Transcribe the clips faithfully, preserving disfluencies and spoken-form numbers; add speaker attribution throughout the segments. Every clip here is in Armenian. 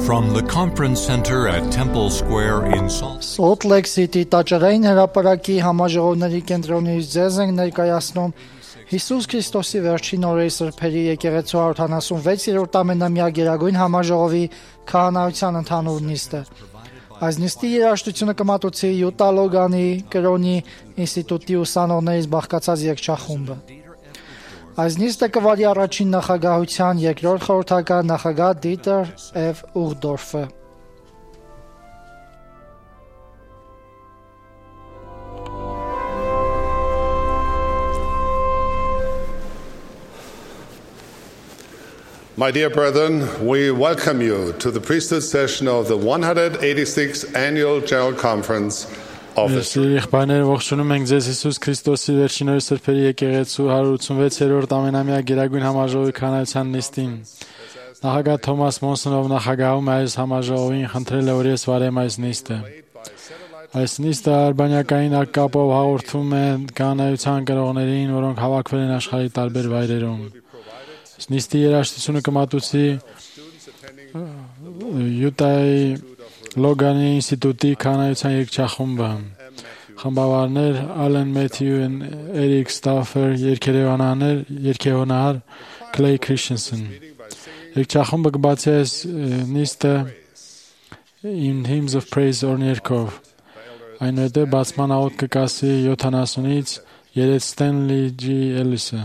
Speaker 1: From the conference center at Temple Square in Salt
Speaker 2: Salt Lake City տաճարային հրապարակի համաժողովների կենտրոնից ձեզ ենք ներկայացնում Հիսուս Քրիստոսի վերջին օրերի սրբերի եկեղեցու հարյուր հարյուրվեցերորդ ամենամյա գերագույն համաժողովի քահանայության ընդհանուր նիստը։ Այս նիստի երաժշտությունը կմատուցի Յուտա Լոգանի կրոնի ինստիտուտի ուսանողներից բաղկացած երգչախումբը։ Այս նիստը կվարի առաջին նախագահության երկրորդ խորհրդական նախագահ Դիտեր Էվ Ուղդորֆը։
Speaker 3: My dear brethren, we welcome you to the priesthood session of the one hundred eighty-sixth Annual General Conference of the
Speaker 4: Սիրիխբաներ ողջունում ենք ձեզ Հիսուս Քրիստոսի վերջին օրերի սրբերի եկեղեցու հարյուր ութսունվեցերորդ ամենամյա գերագույն համաժողովի քահանայության նիստին։ Նախագահ Թոմաս Մոնսոնով նախագահում այս համաժողովին խնդրել է, որ ես վարեմ այս նիստը։ Այս նիստը արբանյակային կապով հաղորդում է քահանայության կրողներին, որոնք հավաքվել են աշխարհի տարբեր վայրերում։ Նիստի երաժշտությունը կմատուցի Յուտայի Լոգանի ինստիտուտի քահանայության երգչախումբը։ Խմբավարներ Ալեն Մեթյու, Էրիկ Ստաֆեր, երգեհոնահար, երգեհոնահար Քլեյ Քրիշենսեն։ Երգչախումբը կբացի այս նիստը In Hymns of Praise օրներքով։ Այնուհետև բացման աղոթք կկասի յոթանասունից երեց Ստենլի Ջի Էլիսը։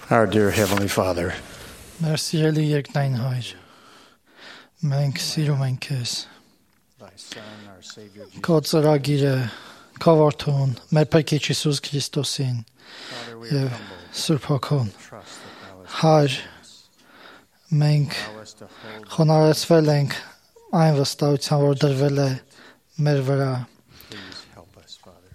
Speaker 5: Our dear Heavenly Father,
Speaker 2: Մեր սիրելի երկնային Հայր, մենք սիրում ենք քեզ։
Speaker 5: Thy Son, our Savior Jesus,
Speaker 2: Քո ծրագիրը, քո որդուն, մեր Փրկիչ Հիսուս Քրիստոսին
Speaker 5: Father, we
Speaker 2: եւ
Speaker 5: are humbled.
Speaker 2: Սուրբ Հոգուն։
Speaker 5: Trust that Thou hast
Speaker 2: Հայր, մենք
Speaker 5: allow us to hold.
Speaker 2: խոնարհեցվել ենք այն վստահության, որ դրվել է մեր վրա։
Speaker 5: Please help us, Father.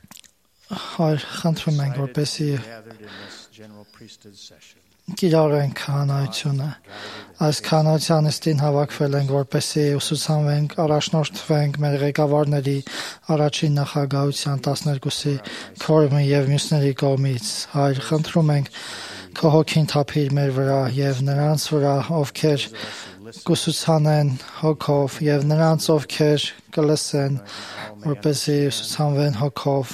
Speaker 2: Հայր, խնդրում ենք, որպեսզի
Speaker 5: Gathered in this general priesthood session,
Speaker 2: կիրառենք քահանայությունը։ Այս քահանայության նիստին հավաքվել ենք, որպեսզի ուսուցանվենք, առաջնորդվենք մեր ղեկավարների առաջին նախագահության տասներկուսի քորմի եւ մյուսների կողմից։ Հայր, խնդրում ենք քո հոգին թափիր մեր վրա եւ նրանց վրա, ովքեր կուսուցանեն հոգով եւ նրանց, ովքեր կլսեն, որպեսզի ուսուցանվեն հոգով,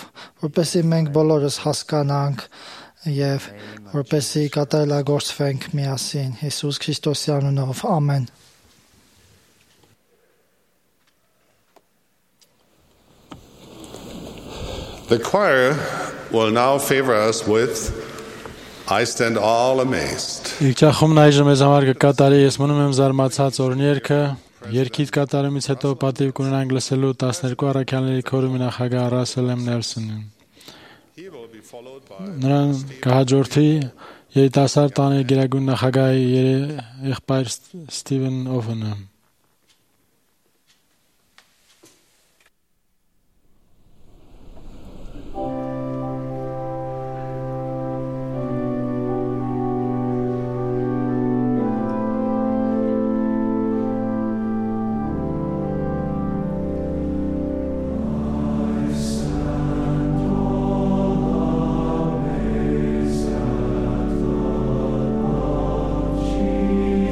Speaker 2: որպեսզի մենք բոլորս հասկանանք եւ որպեսզի կատարելագործվենք միասին Հիսուս Քրիստոսի անունով, ամեն։
Speaker 3: The choir will now favor us with I Stand All Amazed.
Speaker 4: Իջախումն այժմ մեզ համար կկատարի ես մնում եմ զարմացած օրներքը, երկիդ կատարումից հետո պատիվ կունենանք լսելու տասներկու առաքյալների քորումի նախագահ Ռասել Էմ Նելսոնին։
Speaker 3: He will be followed by
Speaker 4: Նրան կհաջորդի երիտասարդ տանի գերագույն նախագահի եղբայր Ստիվեն Օվենը։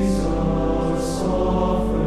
Speaker 6: Jesus, offer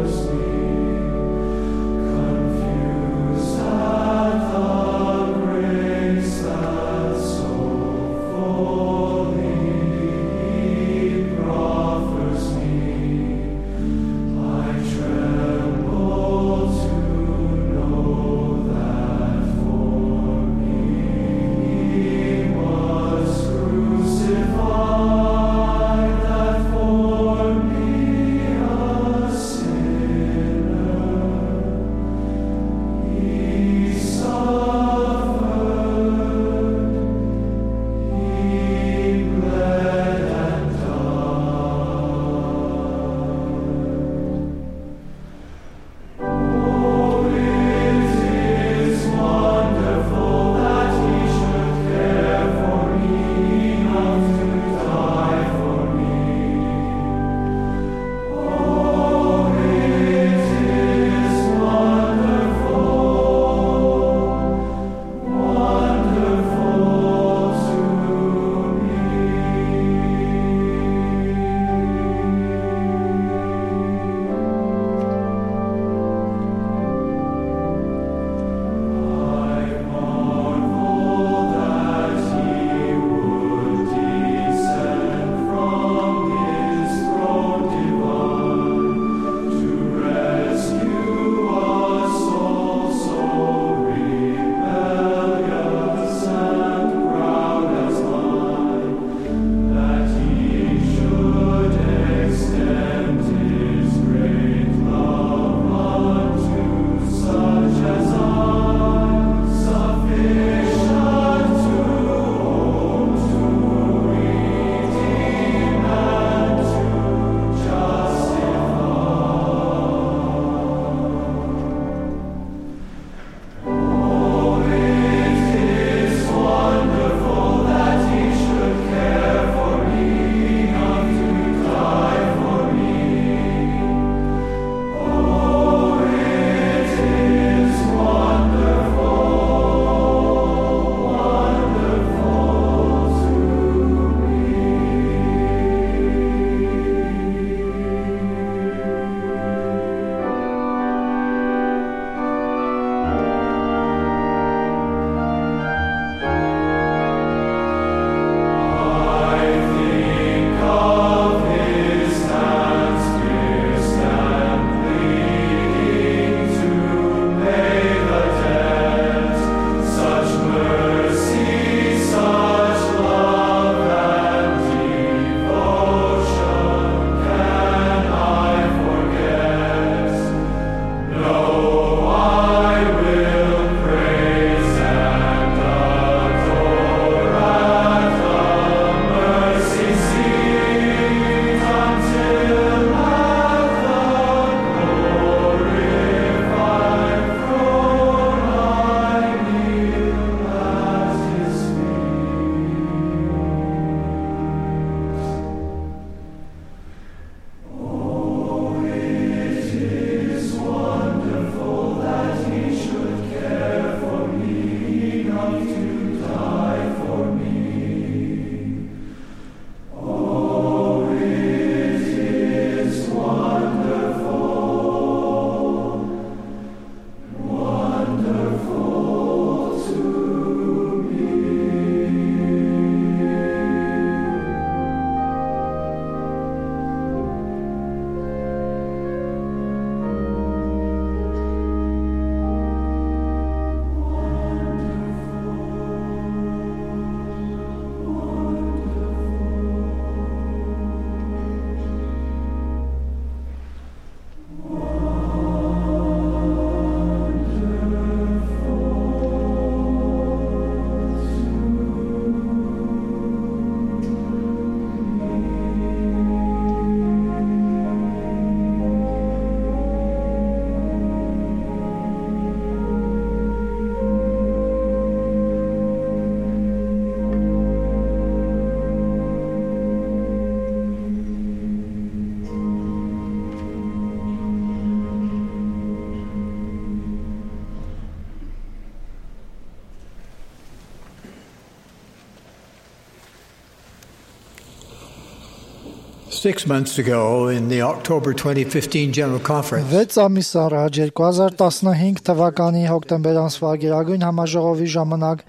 Speaker 6: Six months ago, in the October twenty fifteen General Conference,
Speaker 2: վեց ամիս առաջ երկու հազար տասնհինգ թվականի հոկտեմբեր ամսվա Գերագույն համաժողովի ժամանակ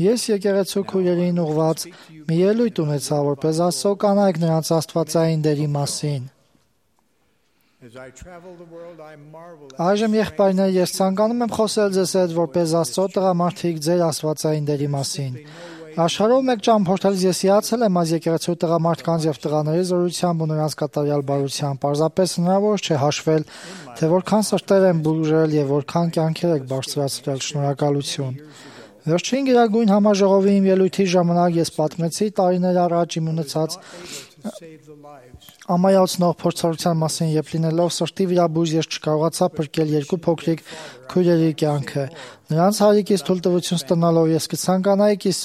Speaker 2: ես եկեղեցու քույրերին ուղված մի ելույթ ունեցա, որպես Աստծո կանայք նրանց աստվածային դերի մասին։
Speaker 6: as I travel the world, I marvel at
Speaker 2: Այժմ եղբայրներ, ես ցանկանում եմ խոսել ձեզ հետ որպես Աստծո տղամարդիկ ձեր աստվածային դերի մասին։ Աշխարհով մեկ ճամփորդելիս ես հիացել եմ այս եկեղեցու տղամարդկանց եւ տղաների զորությամբ ու նրանց կատարյալ բարությամբ։ Պարզապես հնարավոր չէ հաշվել, թե որքան սրտեր են բուժել եւ որքան կյանքեր եք բարձրացրել։ Շնորհակալություն։ Վերջին Գերագույն համաժողովի իմ ելույթի ժամանակ ես պատմեցի տարիներ առաջ իմ ունեցած
Speaker 6: to save the lives
Speaker 2: ամայացնող փորձառության մասին, երբ լինելով սրտի վիրաբույժ ես չկարողացա փրկել երկու փոքրիկ քույրերի կյանքը։ Նրանց հարիկից թույլտվություն ստանալով ես կցանկանայի կիս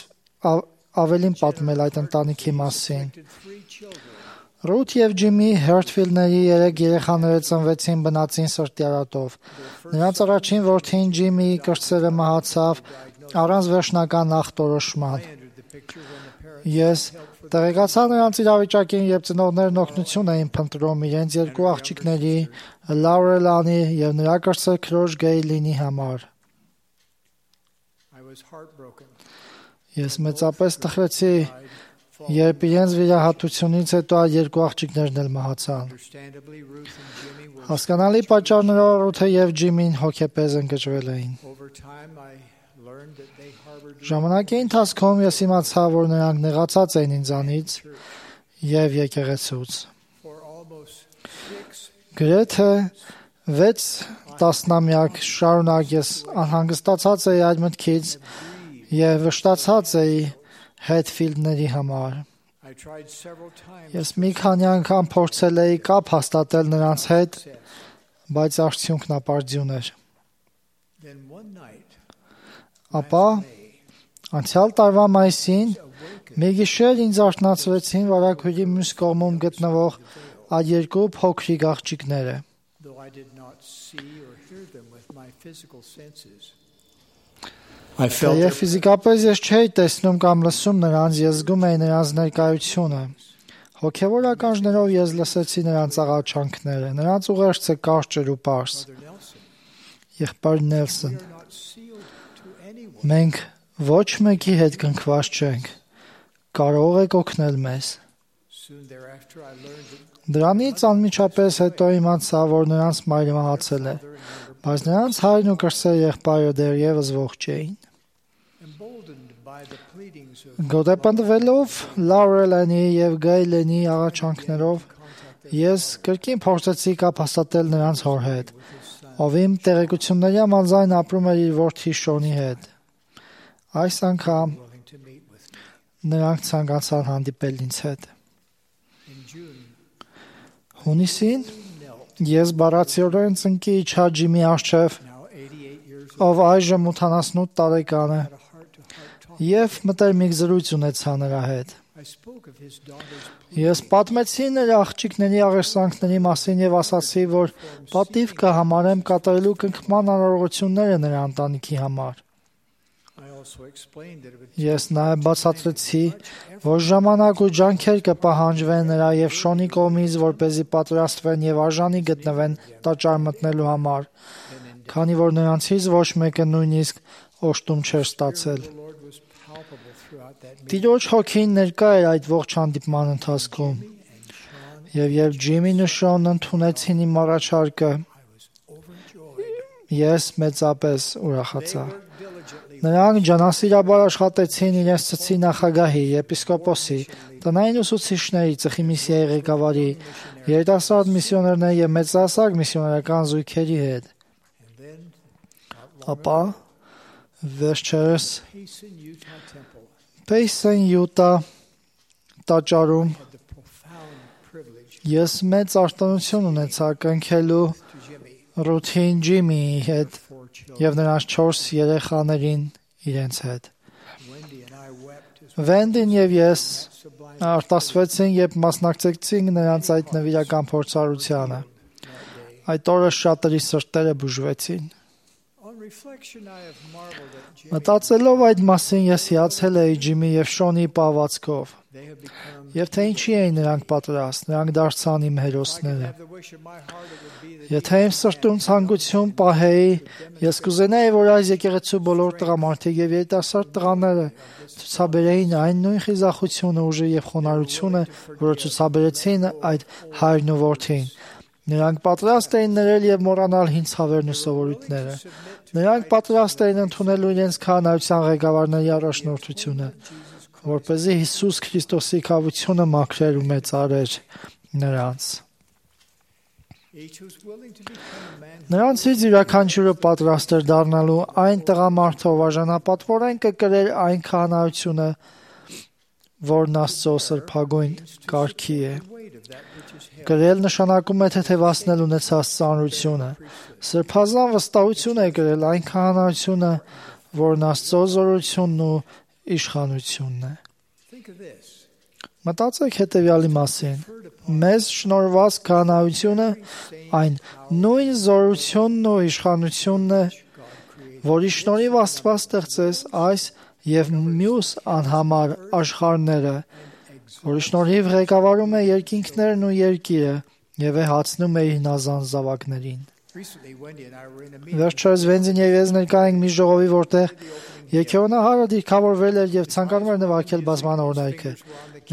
Speaker 2: ավելին պատմել այդ ընտանիքի մասին։
Speaker 6: three children.
Speaker 2: Ռութ եւ Ջիմի Հերթֆիլդների երեք երեխաները ծնվեցին բնածին սրտիարատով։ Նրանց առաջին որդին Ջիմի կրտսերը մահացավ առանց վերջնական ախտորոշման։
Speaker 6: Entered the picture when the parents
Speaker 2: Ես տեղեկացա նրանց իրավիճակին, երբ ծնողներն օգնություն էին փնտրում իրենց երկու աղջիկների Լաուրելանի եւ նրա կրտսեր քրոջ Գեյլինի համար։
Speaker 6: I was heartbroken.
Speaker 2: Ես մեծապես տխրեցի, երբ իրենց վիրահատությունից հետո այդ երկու աղջիկներն էլ մահացան։
Speaker 6: Understandably, Ruth and Jimmy were.
Speaker 2: Հասկանալի պատճառներով Ռութը եւ Ջիմին հոգեպես ընկճվել էին։
Speaker 6: Over time, I learned that they harbored
Speaker 2: Ժամանակի ընթացքում ես իմացա, որ նրանք նեղացած էին ինձանից եւ եկեղեցուց։
Speaker 6: for almost six.
Speaker 2: Գրեթե վեց տասնամյակ շարունակ ես անհանգստացած էի այդ մտքից եւ վշտացած էի Հետֆիլդների համար։
Speaker 6: I tried several times.
Speaker 2: Ես մի քանի անգամ փորձել էի կապ հաստատել նրանց հետ, բայց արդյունքն ապարդյուն էր։
Speaker 6: Then one night,
Speaker 2: Ապա անցյալ տարվա մայիսին մի գիշեր ինձ արթնացրեցին վարակույրի մյուս կողմում գտնվող այդ երկու փոքրիկ աղջիկները։
Speaker 6: though I did not see or hear them with my physical senses, I felt
Speaker 2: Եվ
Speaker 6: their
Speaker 2: ֆիզիկապես ես չէի տեսնում կամ լսում նրանց, ես զգում էի նրանց ներկայությունը։ Հոգևոր ականջներով ես լսեցի նրանց աղաչանքները, նրանց ուղերձը կարճ էր ու պարզ։
Speaker 6: Mother Nelson.
Speaker 2: Եղբայր Նելսոն,
Speaker 6: We are not sealed to anyone.
Speaker 2: մենք ոչ մեկի հետ կնքված չենք։ Կարող եք օգնել մեզ։
Speaker 6: Soon thereafter, I learned that
Speaker 2: Դրանից անմիջապես հետո իմացա, որ նրանց մայրը մահացել է, բայց նրանց հայրն ու կրտսեր եղբայրը դեռևս ողջ էին։
Speaker 6: emboldened by the pleadings of
Speaker 2: Գոտեպնդվելով Լաուրելանի եւ Գեյլենի աղաչանքներով ես կրկին փորձեցի կապ հաստատել նրանց հոր հետ, ով իմ տեղեկությունների համաձայն ապրում էր իր որդի Շոնի հետ։ Այս անգամ
Speaker 6: willing to meet with me.
Speaker 2: նրանք ցանկացան հանդիպել ինձ հետ։
Speaker 6: In June,
Speaker 2: Հունիսին
Speaker 6: knelt,
Speaker 2: ես բառացիորեն ծնկի իջա Ջիմի առջև,
Speaker 6: now eighty-eight years old,
Speaker 2: ով այժմ ութանասունութ տարեկան է,
Speaker 6: had a heart-to-heart talk.
Speaker 2: եւ մտերմիկ զրույց ունեցա նրա հետ։
Speaker 6: I spoke of his daughter's
Speaker 2: Ես պատմեցի նրա աղջիկների աղերսանքների մասին եւ ասացի, որ պատիվ կհամարեմ կատարելու կնքման անհրաժեշտությունները նրա ընտանիքի համար։
Speaker 6: I also explained that it would
Speaker 2: Ես նաեւ բացատրեցի, որ ժամանակ ու ջանքեր կպահանջվեն նրա եւ Շոնի կողմից, որպեսզի պատրաստվեն եւ արժանի գտնվեն տաճար մտնելու համար, քանի որ նրանցից ոչ մեկը նույնիսկ օժտում չէր ստացել։
Speaker 6: the Lord was palpable throughout that meeting.
Speaker 2: Տիրոջ հոգին ներկա էր այդ ողջ հանդիպման ընթացքում, եւ երբ Ջիմին ու Շոնն ընդունեցին իմ առաջարկը,
Speaker 6: Overjoyed.
Speaker 2: ես մեծապես ուրախացա։
Speaker 6: Worked diligently.
Speaker 2: Նրանք ջանասիրաբար աշխատեցին իրենց ծծի նախագահի, եպիսկոպոսի, տնային ուսուցիչների, ծխի միսիայի ղեկավարի, երիտասարդ միսիոներների եւ մեծահասակ միսիոներական զույգերի հետ։
Speaker 6: And then,
Speaker 2: Ապա վերջերս
Speaker 6: Payson Utah Temple
Speaker 2: Payson Utah տաճարում
Speaker 6: had the profound privilege
Speaker 2: ես մեծ արտոնություն ունեցա կնքելու
Speaker 6: to Jimmy,
Speaker 2: Ռութին Ջիմիի հետ
Speaker 6: four children.
Speaker 2: եւ նրանց չորս երեխաներին իրենց հետ։
Speaker 6: Wendy and I wept as
Speaker 2: Վենդին եւ ես
Speaker 6: sublime
Speaker 2: արտասվեցին, երբ մասնակցեցինք նրանց այդ նվիրական փորձառությանը։
Speaker 6: that day.
Speaker 2: Այդ օրը շատերի սրտերը բուժվեցին։
Speaker 6: On On reflection, I have marveled at Jimmy.
Speaker 2: Մտածելով այդ մասին ես հիացել էի Ջիմի եւ Շոնի պահվածքով,
Speaker 6: They have become.
Speaker 2: եւ թե ինչի էին նրանք պատրաստ, նրանք դարձան իմ
Speaker 6: If I could
Speaker 2: հերոսները։
Speaker 6: have the wish of my heart, it would be that
Speaker 2: Եթե իմ սրտում ցանկություն պահեի, ես կուզենայի, որ այս եկեղեցու բոլոր տղամարդիկ եւ երիտասարդ տղաները ցուցաբերեին այն նույն խիզախությունը, ուժը եւ խոնարհությունը, որը ցուցաբերեցին այդ հայրն ու որդին։ Նրանք պատրաստ էին ներել եւ մոռանալ հին ցավերն ու սովորույթները։ Նրանք պատրաստ էին ընդունել իրենց քահանայության ղեկավարների առաջնորդությունը, որպեսզի Հիսուս Քրիստոսի քավությունը մաքրեր ու մեծարեր նրանց։
Speaker 6: each who's willing to become a man.
Speaker 2: Նրանցից յուրաքանչյուրը պատրաստ էր դառնալու այն տղամարդով արժանապատվորեն կկրեր այն քահանայությունը, որն Աստծո սրբագույն կարգի է։
Speaker 6: Weight of that which is heavy.
Speaker 2: Կրել նշանակում է թեթևացնել ունեցած ծանրությունը։ Սրբազան վստահություն է կրել այն քահանայությունը, որն Աստծո զորությունն ու իշխանությունն է։
Speaker 6: Think of this.
Speaker 2: Մտածեք հետևյալի մասին։ Մեզ շնորհված քահանայությունը այն նույն զորությունն ու իշխանությունն է, որի շնորհիվ Աստված ստեղծեց այս եւ մյուս անհամար աշխարհները, որի շնորհիվ ղեկավարում է երկինքներն ու երկիրը եւ է հացնում է իր հնազանդ զավակներին։
Speaker 6: Recently, Wendy and I were in a meeting.
Speaker 2: Վերջերս Վենձին եւ ես ներկա ենք մի ժողովի, որտեղ Եկեղոնահարը դիրքավորվել էր եւ ցանկանում էր նվագել բազման օրհնայքը։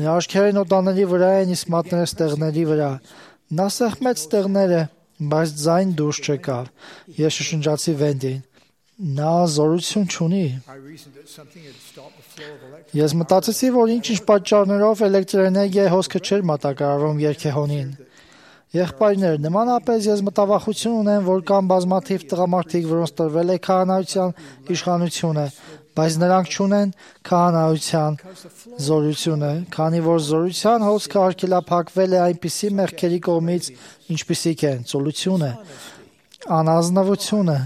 Speaker 2: Նրա աչքերն օտաների վրա են, իսկ մատները ստեղների վրա։ Նա սեղմեց ստեղները, բայց ձայն դուրս չեկավ։ Ես շշնջացի Վենդին։ Նա զորություն չունի։
Speaker 6: I reasoned that something had stopped the flow of electricity.
Speaker 2: Ես մտածեցի, որ ինչ-ինչ պատճառներով էլեկտրոէներգիայի հոսքը չէր մատակարարվում երգեհոնին։ Եղբայրներ, նմանապես ես մտավախություն ունեմ, որ կան բազմաթիվ տղամարդիկ, որոնց տրվել է քահանայության իշխանությունը, բայց նրանք չունեն քահանայության զորությունը, քանի որ զորության հոսքը արգելափակվել է այնպիսի մեղքերի կողմից, ինչպիսիք են ծուլությունը, անազնվությունը,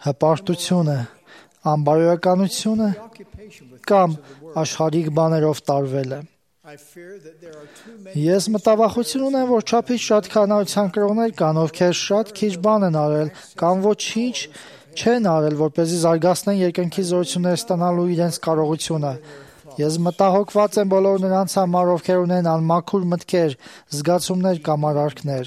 Speaker 2: հպարտությունը, անբարոյականությունը
Speaker 6: Occupation with
Speaker 2: կամ աշխարհիկ բաներով տարվելը։
Speaker 6: I fear that there are too many.
Speaker 2: Ես մտավախություն ունեմ, որ չափից շատ քահանայության կրողներ կան, ովքեր շատ քիչ բան են արել կամ ոչինչ չեն արել, որպեսզի զարգացնեն երկնքի զորությունները ստանալու իրենց կարողությունը։ Ես մտահոգված եմ բոլոր նրանց համար, ովքեր ունեն անմաքուր մտքեր, զգացումներ կամ արարքներ,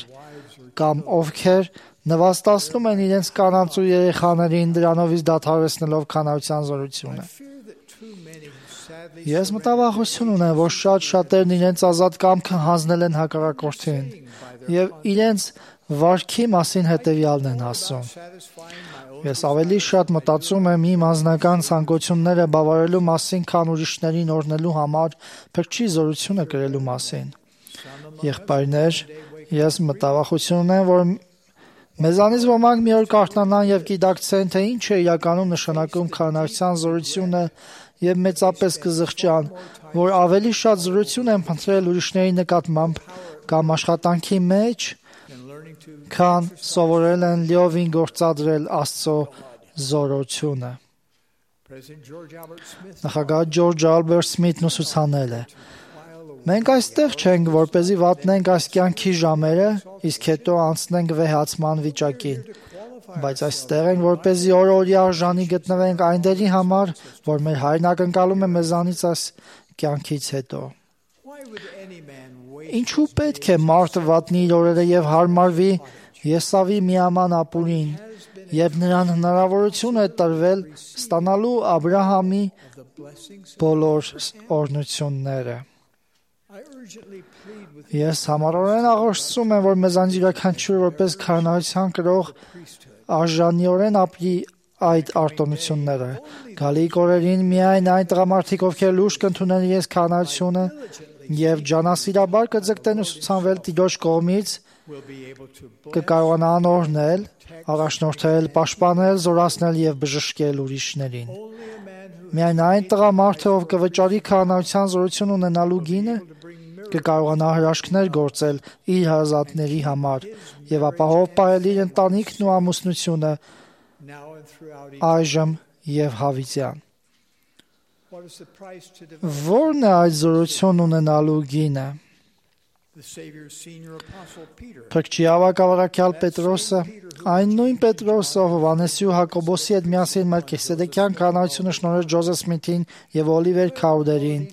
Speaker 2: կամ ովքեր նվաստացնում են իրենց կանանց ու երեխաներին դրանովից դադարեցնելով քահանայության զորությունը։
Speaker 6: I fear that too many who sadly
Speaker 2: Ես մտավախություն ունեմ, որ շատ շատերն իրենց ազատ կամքը հանձնել են հակառակորդին եւ իրենց վարքի մասին հետեւյալն են ասում։
Speaker 6: satisfying my own.
Speaker 2: Ես ավելի շատ մտածում եմ իմ անձնական ցանկությունները բավարարելու մասին, քան ուրիշներին օրհնելու համար փրկչի զորությունը կրելու մասին։ Եղբայրներ, ես մտավախություն ունեմ, որ մեզանից ոմանք մի օր կարթնանան եւ գիտակցեն, թե ինչ է իրականում նշանակում քահանայության զորությունը եւ մեծապես կզղջան, որ ավելի շատ զորություն են փնտրել ուրիշների նկատմամբ կամ աշխատանքի մեջ,
Speaker 6: And learning to
Speaker 2: քան սովորել են լիովին գործադրել Աստծո զորությունը։
Speaker 6: President George Albert Smith
Speaker 2: Նախագահ Ջորջ Ալբերտ Սմիթն ուսուցանել է. Մենք այստեղ չենք, որպեսզի վատնենք այս կյանքի ժամերը, իսկ հետո անցնենք վեհացման վիճակին, բայց այստեղ ենք, որպեսզի օր-օրի արժանի գտնվենք այն դերի համար, որ մեր հայրն ակնկալում է մեզանից այս կյանքից հետո։
Speaker 6: Why would any man wait
Speaker 2: Ինչու պետք է մարդը վատնի իր օրերը եւ հարմարվի Եսավի միաման ապուրին, եւ նրան հնարավորություն է տրվել ստանալու Աբրահամի
Speaker 6: the blessings?
Speaker 2: բոլոր օրհնությունները։
Speaker 6: I urgently plead with
Speaker 2: Ես համառորեն աղոթում եմ, որ մեզանից յուրաքանչյուրը որպես քահանայության կրող արժանիորեն ապրի այդ արտոնությունները։ Գալիք օրերին միայն այն տղամարդիկ, ովքեր լուրջ կընդունեն իրենց քահանայությունը եւ ջանասիրաբար կձգտեն ուսուցանվել Տիրոջ կողմից,
Speaker 6: will be able to bless
Speaker 2: կկարողանան օրհնել, առաջնորդել, պաշտպանել, զորացնել եւ բժշկել ուրիշներին։
Speaker 6: only a man who
Speaker 2: Միայն այն տղամարդը, ով կվճարի քահանայության զորություն ունենալու գինը, կկարողանա հրաշքներ գործել իր հարազատների համար եւ ապահով պահել իր ընտանիքն ու ամուսնությունը
Speaker 6: now and throughout eternity.
Speaker 2: այժմ եւ հավիտյան։
Speaker 6: What is the price to develop?
Speaker 2: Որն է այդ զորություն ունենալու գինը։
Speaker 6: The Savior's senior apostle Peter
Speaker 2: Փրկչի ավագավարակյալ Պետրոսը, այն նույն Պետրոսը, ով Հովհաննեսի ու Հակոբոսի հետ միասին Մելքիսեդեկյան կանայությունը շնորհեց Ջոզեֆ Սմիթին եւ Օլիվեր Քաուդերին,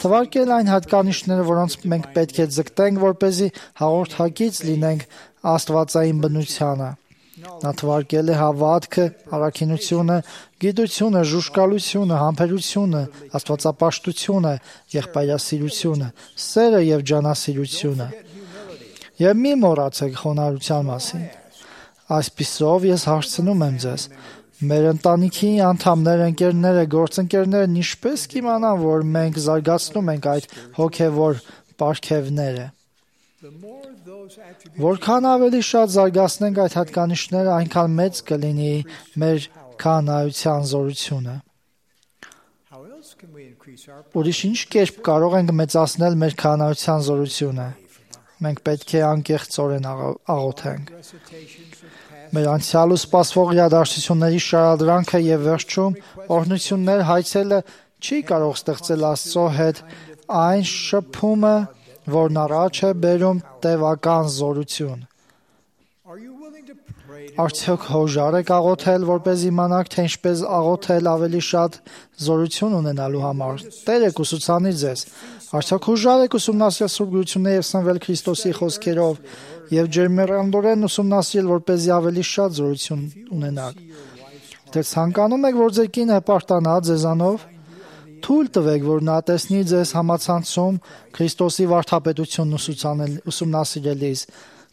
Speaker 2: թվարկել այն հատկանիշները, որոնց մենք պետք է ձգտենք, որպեսզի հաղորդակից լինենք աստվածային բնությանը։ Նա թվարկել է հավատքը, առաքինությունը, գիտությունը, ժուժկալությունը, համբերությունը, աստվածապաշտությունը, եղբայրասիրությունը, սերը եւ ջանասիրությունը։ Եվ մի մոռացեք խոնարհության մասին։ Այսպիսով ես հարցնում եմ ձեզ. մեր ընտանիքի անդամները, ընկերները, գործընկերներն ինչպես կիմանան, որ մենք զարգացնում ենք այդ հոգեվոր պարգևները։
Speaker 6: The more those attributes
Speaker 2: Որքան ավելի շատ զարգացնենք այդ հատկանիշները, այնքան մեծ կլինի մեր քահանայության զորությունը։
Speaker 6: how else can we increase our
Speaker 2: Ուրիշ ինչ կերպ կարող ենք մեծացնել մեր քահանայության զորությունը։ Մենք պետք է անկեղծորեն աղ- աղոթենք։
Speaker 6: recitations of past
Speaker 2: Մեր անցյալ ու սպասվող իրադարձությունների շարադրանքը եւ վերջում օրհնություններ հայցելը չի կարող ստեղծել Աստծո հետ այն շփումը, որն առաջ է բերում տևական զորություն։
Speaker 6: Are you willing to pray to
Speaker 2: Արդյոք հոժար եք աղոթել, որպես իմանաք, թե ինչպես աղոթել ավելի շատ զորություն ունենալու համար։ Տեր եք ուսուցանի ձեզ։ Արդյոք հոժար եք ուսումնասիրել Սուրբ Գրությունը եւ սնվել Քրիստոսի խոսքերով եւ ջերմեռանդորեն ուսումնասիրել, որպեսզի ավելի շատ զորություն ունենաք։ Թե ցանկանում եք, որ ձեր կինը հպարտանա ձեզանով, թույլ տվեք, որ նա տեսնի ձեզ համացանցում Քրիստոսի վարդապետությունն ուսուցանել ուսումնասիրելիս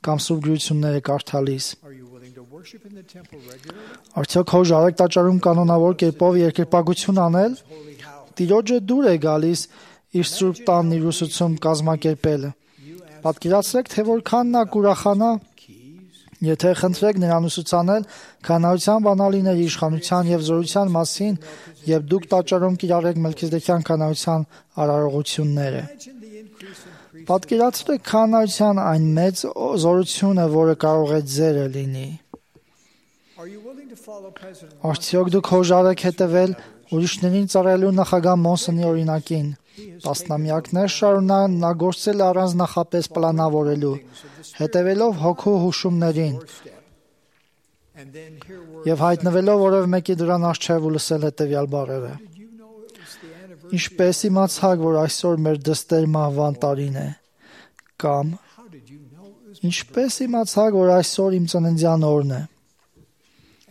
Speaker 2: կամ Սուրբ Գրությունները կարդալիս։
Speaker 6: are you willing to worship in the temple regularly?
Speaker 2: Արդյոք հոժար եք տաճարում կանոնավոր կերպով երկրպագություն անել։
Speaker 6: Holy house.
Speaker 2: Տիրոջը դուր է գալիս իր Սուրբ տանն իր ուսուցում կազմակերպելը։ Պատկերացրեք, թե որքան նա կուրախանա, եթե խնդրեք նրան ուսուցանել քահանայության բանալիների իշխանության եւ զորության մասին, եւ դուք տաճարում կիրառեք Մելքիզեդեկյան քահանայության արարողությունները։
Speaker 6: Imagine the increase in priest.
Speaker 2: Պատկերացրեք քահանայության այն մեծ օ- զորությունը, որը կարող է ձերը լինի։
Speaker 6: Are you willing to follow President
Speaker 2: Արդյոք դուք հոժար եք հետևել ուրիշներին ծառայելու նախագահ Մոնսոնի օրինակին։ Տասնամյակներ շարունակ նա գործել է առանց նախապես պլանավորելու, հետևելով հոգու հուշումներին
Speaker 6: step? And then here were
Speaker 2: եւ հայտնվելով որևէ մեկի դրան առջև ու լսել հետևյալ բառերը.
Speaker 6: did you know it was the anniversary?
Speaker 2: Ինչպես իմացաք, որ այսօր մեր դստեր մահվան տարին է, կամ
Speaker 6: How did you know it was?
Speaker 2: ինչպես իմացաք, որ այսօր իմ ծննդյան օրն է։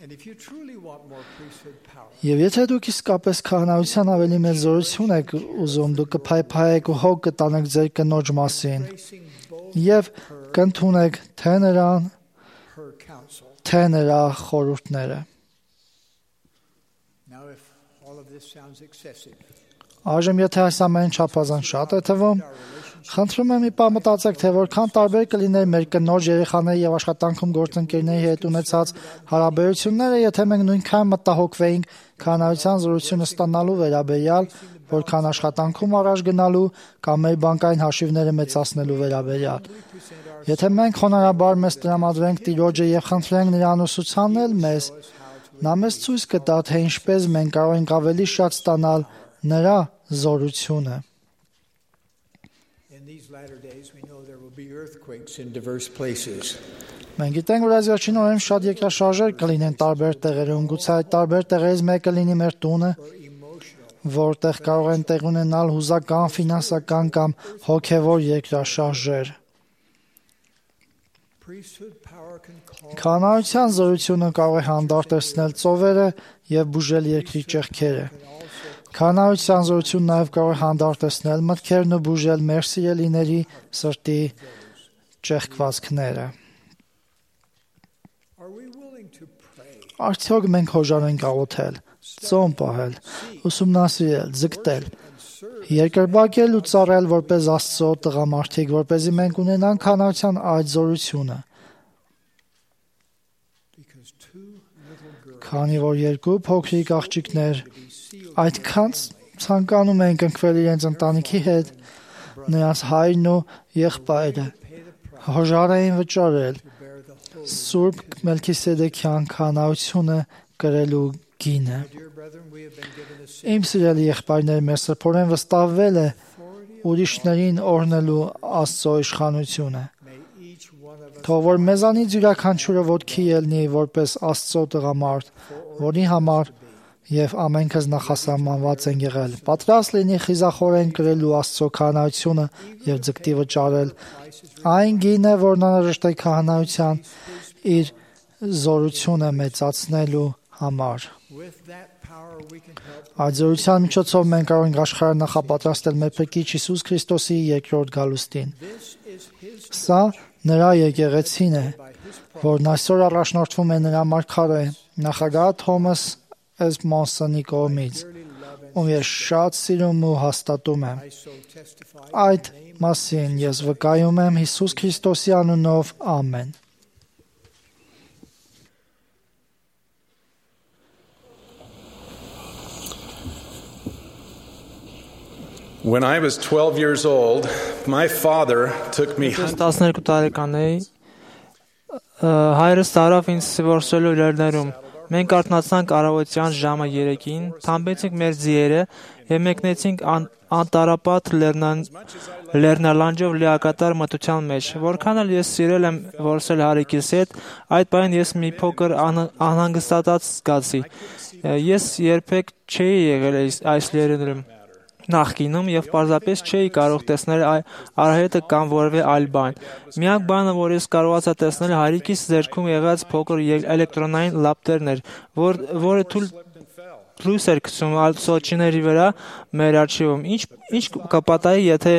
Speaker 6: And if you truly want more priesthood power,
Speaker 2: Եվ եթե դուք իսկապես քահանայության ավելի մեծ զորություն եք ուզում, դուք կփայփայեք ու հոգ կտանեք ձեր կնոջ մասին
Speaker 6: tracing both
Speaker 2: եւ կընդունեք թե նրան,
Speaker 6: her counsel.
Speaker 2: թե նրա խորհուրդները։
Speaker 6: Now, if all of this sounds excessive,
Speaker 2: Այժմ եթե այս ամենը չափազանց շատ է թվում, խնդրում եմ մի բան մտածեք, թե որքան տարբեր կլիներ մեր կնոջ, երեխաների եւ աշխատանքում գործընկերների հետ ունեցած հարաբերությունները, եթե մենք նույնքան մտահոգվեինք քահանայության զորությունը ստանալու վերաբերյալ, որքան աշխատանքում առաջ գնալու կամ մեր բանկային հաշիվները մեծացնելու վերաբերյալ։ Եթե մենք խոնարհաբար մեզ տրամադրենք Տիրոջը եւ խնդրենք նրան ուսուցանել մեզ, նա մեզ ցույց կտա, թե ինչպես մենք կարող ենք ավելի շատ ստանալ նրա զորությունը։
Speaker 6: in these latter days, we know there will be earthquakes in diverse places.
Speaker 2: Մենք գիտենք, որ այս վերջին օրերին շատ երկրաշարժեր կլինեն տարբեր տեղերում, գուցե այդ տարբեր տեղերից մեկը լինի մեր տունը,
Speaker 6: Or emotional.
Speaker 2: որտեղ կարող են տեղ ունենալ հուզական, ֆինանսական կամ հոգևոր երկրաշարժեր։
Speaker 6: Priesthood power can call
Speaker 2: Քահանայության զորությունը կարող է հանդարտեցնել ծովերը եւ բուժել երկրի ճեղքերը։ Քահանայության զորությունը նաեւ կարող է հանդարտեցնել մտքերն ու բուժել մեր սիրելիների սրտի ճեղքվածքները։
Speaker 6: Are we willing to pray?
Speaker 2: Արդյոք մենք հոժար ենք աղոթել, ծոմ պահել, ուսումնասիրել, ձգտել, երկրպագել ու ծառայել որպես Աստծո տղամարդիկ, որպեսզի մենք ունենանք քահանայության այդ զորությունը,
Speaker 6: Because two little girls
Speaker 2: քանի որ երկու փոքրիկ աղջիկներ այդքան ցանկանում են կնքվել իրենց ընտանիքի հետ, նրանց հայրն ու եղբայրը հոժար էին վճարել
Speaker 6: bear the whole.
Speaker 2: Սուրբ Մելքիսեդեկյան քահանայությունը կրելու գինը։
Speaker 6: Dear brethren, we have been given a
Speaker 2: Իմ սիրելի եղբայրներ, մեր սրբորեն վստահվել է ուրիշներին օրհնելու Աստծո իշխանությունը։ Թող որ մեզանից յուրաքանչյուրը ոտքի ելնի որպես Աստծո տղամարդ, որի համար եւ ամենքս նախասահմանված են եղել։ Պատրաստ լինի խիզախորեն կրելու Աստծո քահանայությունը եւ ձգտի վճարել այն գինը, որն անհրաժեշտ է քահանայության իր զորությունը մեծացնելու համար։ Այդ զորության միջոցով մենք կարող ենք աշխարհը նախապատրաստել մեր Փրկիչ Հիսուս Քրիստոսի երկրորդ գալուստին։ Սա նրա եկեղեցին է, որն այսօր առաջնորդվում է նրա մարգարե նախագահ Թոմաս Էս Մոնսոնի կողմից, ում ես շատ սիրում ու հաստատում եմ։ Այդ մասին ես վկայում եմ Հիսուս Քրիստոսի անունով, ամեն։
Speaker 7: When I was twelve years old, my father took me hunting.
Speaker 8: տասներկու տարեկան էի, հայրս տարավ ինձ որսելու լեռներում։ Մենք արթնացանք առավոտյան ժամը երեքին, թամբեցինք մեր ձիերը եւ մեկնեցինք անտառապատ լեռնալանջով լիակատար մթության մեջ։ Որքան էլ ես սիրել եմ որսել հարիկիս հետ, այդ պահին ես մի փոքր անհանգստացած զգացի։ Ես երբեք չէի եղել այս լեռներում նախկինում եւ պարզապես չէի կարող տեսնել արահետը կամ որևէ այլ բան։ Միակ բանը, որ ես կարողացա տեսնել, հարիկիս ձեռքում եղած փոքր էլեկտրոնային լապտերն էր, որ, որը թույլ լույս էր գցում սոճիների վրա մեր արխիվում։ Ինչ ինչ կպատահի, եթե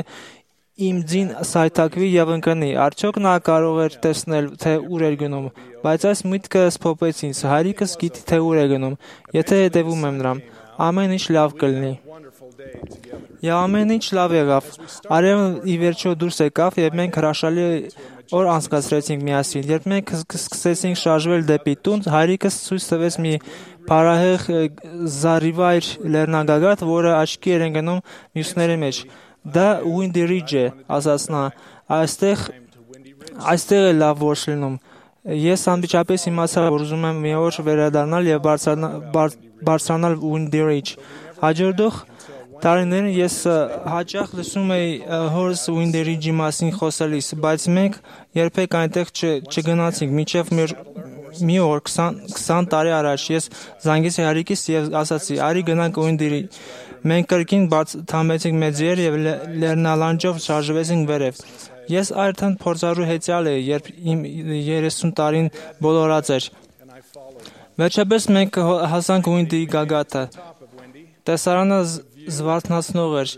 Speaker 8: իմ ձին սայթակվի եւ ընկնի։ Արդյոք նա կարող էր տեսնել, թե ուր էր գնում, բայց այս միտքը սփոփեց ինձ։ Հարիկս գիտի, թե ուր է գնում, եթե հետևում եմ նրան։ Ամեն ինչ լավ կլինի։ Եվ ամեն ինչ լավ եղավ։ Արևն ի վերջո դուրս եկավ եւ մենք հրաշալի օր անցկացրեցինք միասին։ Երբ մենք սկսեցինք շարժվել դեպի տուն, հայրիկս ցույց տվեց մի փարահեղ զառիվայր լեռնագագաթ, որը աչքի էր ընկնում մյուսների մեջ։ Դա Windy Ridge է, ասաց նա։ Այստեղ այստեղ է լավ որս լինում։ Ես անմիջապես իմացա, որ ուզում եմ մի օր վերադառնալ եւ բարձրանալ Windy Ridge։ Հաջորդող տարիներին ես հաճախ լսում էի հորս Windy Ridge-ի մասին խոսելիս, բայց մենք երբեք այնտեղ չգնացինք, մինչև մի օր քսան տարի առաջ ես զանգեցի հարիկիս եւ ասացի՝ «Արի գնանք Windy Ridge»։ Մենք կրկին թամեցինք մեծ ձիեր եւ լեռնալանջով շարժվեցինք վերև։ Ես արդեն փորձառու հեծյալ էի, երբ իմ երեսուն տարին բոլորած էր։ Վերջապես մենք հասանք Windy գագաթը։ Տեսարանը զվարթնացնող էր։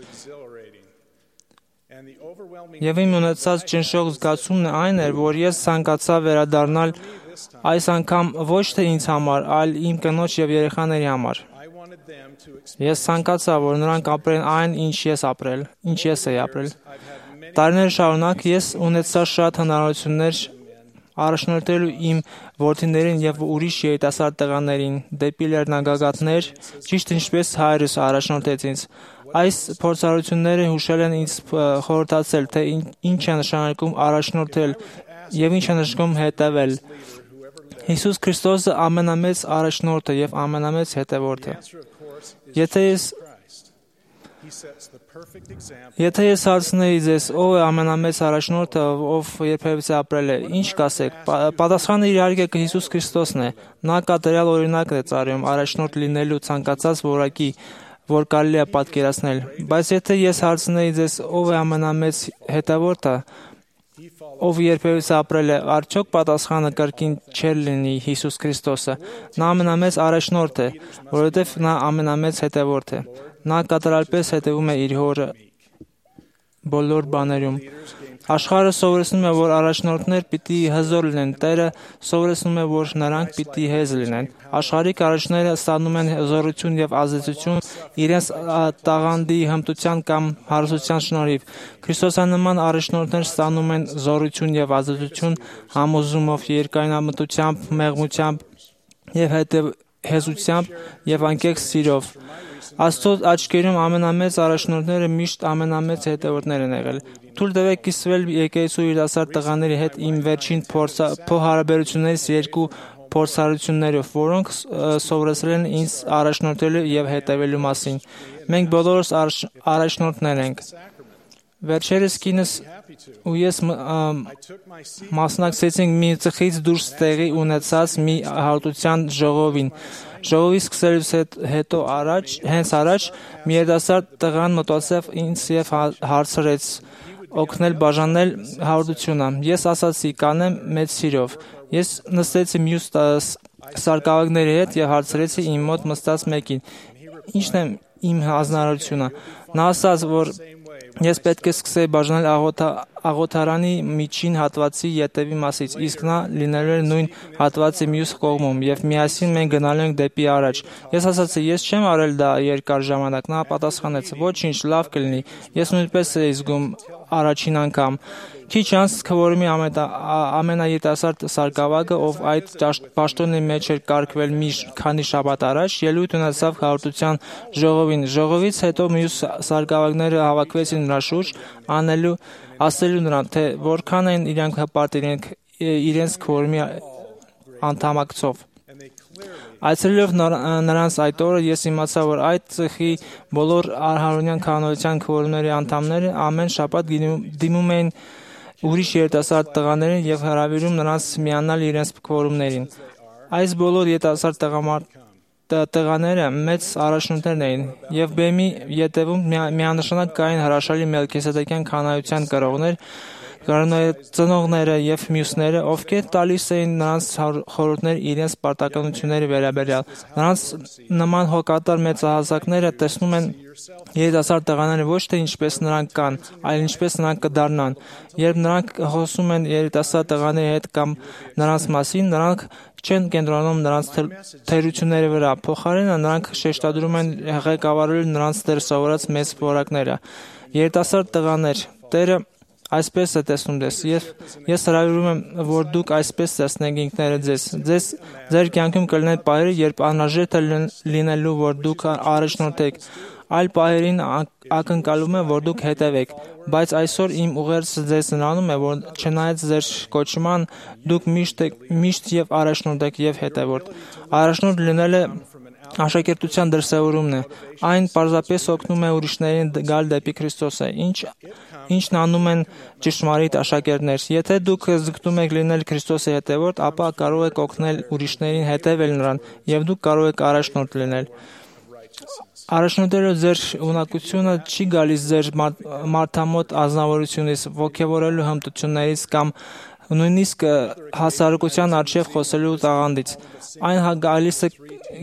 Speaker 8: Եվ իմ ունեցած ճնշող զգացումն այն էր, որ ես ցանկացա վերադառնալ այս անգամ ոչ թե ինձ համար, այլ իմ կնոջ եւ երեխաների համար։ Ես ցանկացա, որ նրանք ապրեն այն, ինչ ես ապրել, ինչ ես էի ապրել։ Տարիներ շարունակ ես ունեցա շատ հնարավորություններ առաջնորդելու իմ որդիներին եւ ուրիշ երիտասարդ տղաներին դեպի լեռնագագաթներ, ճիշտ ինչպես հայրս առաջնորդեց ինձ։ Այս փորձառությունները հուշել են ինձ խորհրդացել, թե ինչ է նշանակում առաջնորդել եւ ինչ է նշանակում հետևել։ Հիսուս Քրիստոսը ամենամեծ առաջնորդը եւ ամենամեծ հետևորդը։ Եթե ես Եթե ես հարցնեի ձեզ, ով է ամենամեծ առաջնորդը, ով երբևէ ապրել է, ինչ կասեք։ Պատասխանը իհարկե Հիսուս Քրիստոսն է։ Նա կատարյալ օրինակն է ծառայում առաջնորդ լինելու ցանկացած որակի, որ կարելի է պատկերացնել։ Բայց եթե ես հարցնեի ձեզ, ով է ամենամեծ հետևորդը, ով երբևէ ապրել է, արդյոք պատասխանը կրկին չէր լինի Հիսուս Քրիստոսը։ Նա ամենամեծ առաջնորդ է, որովհետև նա ամենամեծ հետևորդ է։ Նա կատարյալպես հետևում է իր հորը բոլոր բաներում։ Աշխարհը սովորեցնում է, որ առաջնորդներ պիտի հզոր լինեն, Տերը սովորեցնում է, որ նրանք պիտի հեզ լինեն։ Աշխարհիկ առաջնորդները ստանում են հզորություն եւ ազդեցություն իրենց տաղանդի հմտության կամ հարստության շնորհիվ։ Քրիստոսանման առաջնորդներ ստանում են զորություն եւ ազդեցություն համոզումով, երկայնամտությամբ, մեղմությամբ եւ հետեւեցությամբ եւ անկեղծ սիրով։ Աստծո աչքերում ամենամեծ առաջնորդները միշտ ամենամեծ հետևորդներ են եղել։ Թույլ տվեք կիսվել եկեղեցու երիտասարդ տղաների հետ իմ վերջին փոխհարաբերություններից երկու փորձառություններով, որոնք սովորեցրել են ինձ առաջնորդելու եւ հետևելու մասին։ Մենք բոլորս առաջնորդներ ենք։ Վերջերս կինս ու ես մասնակցեցինք մի ծխից դուրս տեղի ունեցած մի հաղորդության ժողովին։ Ժողովի սկսելուց հետո առաջ, հենց առաջ մի երիտասարդ տղան մտածեց ինձ եւ հարցրեց օգնել բաժանել հաղորդությունը։ Ես ասացի կանեմ մեծ սիրով։ Ես նստեցի մյուս սարկավագների հետ եւ հարցրեցի իմ մոտ նստած մեկին. Ինչն է իմ հանձնարարությունը։ Նա ասաց, որ ես պետք է սկսեի բաժանել աղոթարանի միջին հատվածի ետևի մասից, իսկ նա լինելու է նույն հատվածի մյուս կողմում, եւ միասին մենք գնալու ենք դեպի առաջ։ Ես ասացի, ես չեմ արել դա երկար ժամանակ։ Նա պատասխանեց, ոչինչ, լավ կլինի։ Ես նույնպես էի զգում առաջին անգամ։ Քիչ անց քվորումի ամենաերիտասարդ սարկավագը, ով այդ պաշտոնի մեջ էր կարգվել մի քանի շաբաթ առաջ, ելույթ ունեցավ հաղորդության ժողովին։ Ժողովից հետո մյուս սարկավագները հավաքվեցին նրա շուրջ, անելու ասելու նրան, թե որքան են իրանք հպարտ իրենց քվորումի անդամակցով։ Այցելելով նրանց այդ օրը ես իմացա, որ այդ ծխի բոլոր արհարոնյան քահանայության քվորումների անդամները ամեն շաբաթ դիմում էին ուրիշ երիտասարդ տղաներին եւ հրավիրում նրանց միանալ իրենց քվորումներին։ Այս բոլոր երիտասարդ տղաները մեծ առաջնորդներ էին եւ բեմի ետևում միանշանակ կային հրաշալի մելքիսեդեկյան քահանայության կրողներ, ծնողները եւ մյուսները, ովքեր տալիս էին նրանց խորհուրդներ իրենց պարտականությունների վերաբերյալ։ Նրանց նման հոգատար մեծահասակները տեսնում են երիտասարդ տղաները ոչ թե ինչպես նրանք կան, այլ ինչպես նրանք կդառնան։ Երբ նրանք խոսում են երիտասարդ տղաների հետ կամ նրանց մասին, նրանք չեն կենտրոնում նրանց թերությունների վրա, փոխարենը նրանք շեշտադրում են ղեկավարել նրանց դեռ սովորած մեծ որակները։ Երիտասարդ տղաներ, Տերը այսպես է տեսնում ձեզ, եւ ես հրավիրում եմ, որ դուք այսպես տեսնեք ինքներդ ձեզ։ Ձեզ ձեր կյանքում կլինեն պահեր, երբ անհրաժեշտ է լինելու, որ դուք առաջնորդեք, այլ պահերին ակնկալում է, որ դուք հետևեք, բայց այսօր իմ ուղերձը ձեզ նրանում է, որ չնայած ձեր կոչման, դուք միշտ միշտ եւ առաջնորդ եք եւ հետևորդ։ Առաջնորդ լինելը աշակերտության դրսևորումն է։ Այն պարզապես օգնում է ուրիշներին գալ դեպի Քրիստոսը, ինչ ինչն անում են ճշմարիտ աշակերտներ։ Եթե դուք ձգտում եք լինել Քրիստոսի հետևորդ, ապա կարող եք օգնել ուրիշներին հետևել նրան, եւ դուք կարող եք առաջնորդ լինել։ Առաջնորդելու ձեր ունակությունը չի գալիս ձեր մարդամոտ ազնվորությունից, ոգևորելու հմտություններից կամ նույնիսկ հասարակության առջև խոսելու տաղանդից։ Այն գալիս է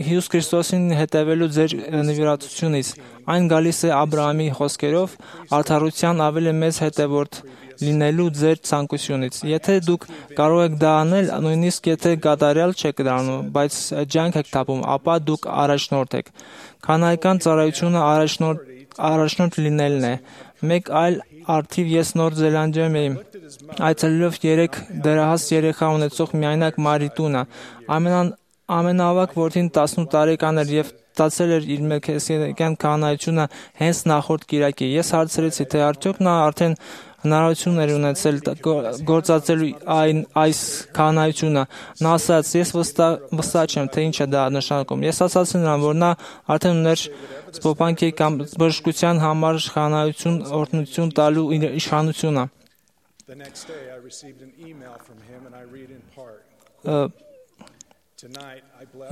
Speaker 8: Հիսուս Քրիստոսին հետևելու ձեր նվիրատությունից։ Այն գալիս է Աբրահամի խոսքերով արդարության ավելի մեծ հետևորդ լինելու ձեր ցանկությունից։ Եթե դուք կարող եք դա անել, նույնիսկ եթե կատարյալ չեք դառնում, բայց ջանք եք տապում, ապա դուք առաջնորդ եք։ Քանայական ծառայությունը առաջնորդ առաջնորդ լինելն է։ Մեկ այլ արդիվ ես Նոր Զելանդիայում էի այցելելով երեք դեռահաս երեխա ունեցող միայնակ Մարի տունը։ Ամենաավագ որդին տասնութ տարեկան էր եւ ստացել էր իր մելքիսեդեկյան քահանայությունը հենց նախորդ կիրակի։ Ես հարցրեցի, թե արդյոք նա արդեն հնարավորություն էր ունեցել գործածելու այն այս քահանայությունը։ Նա ասաց, ես վստահ չեմ, թե ինչ է դա նշանակում։ Ես ասացի նրան, որ նա արդեն ուներ սպոպանքի կամ բժշկության համար քահանայություն օրհնություն տալու իշխանությունը։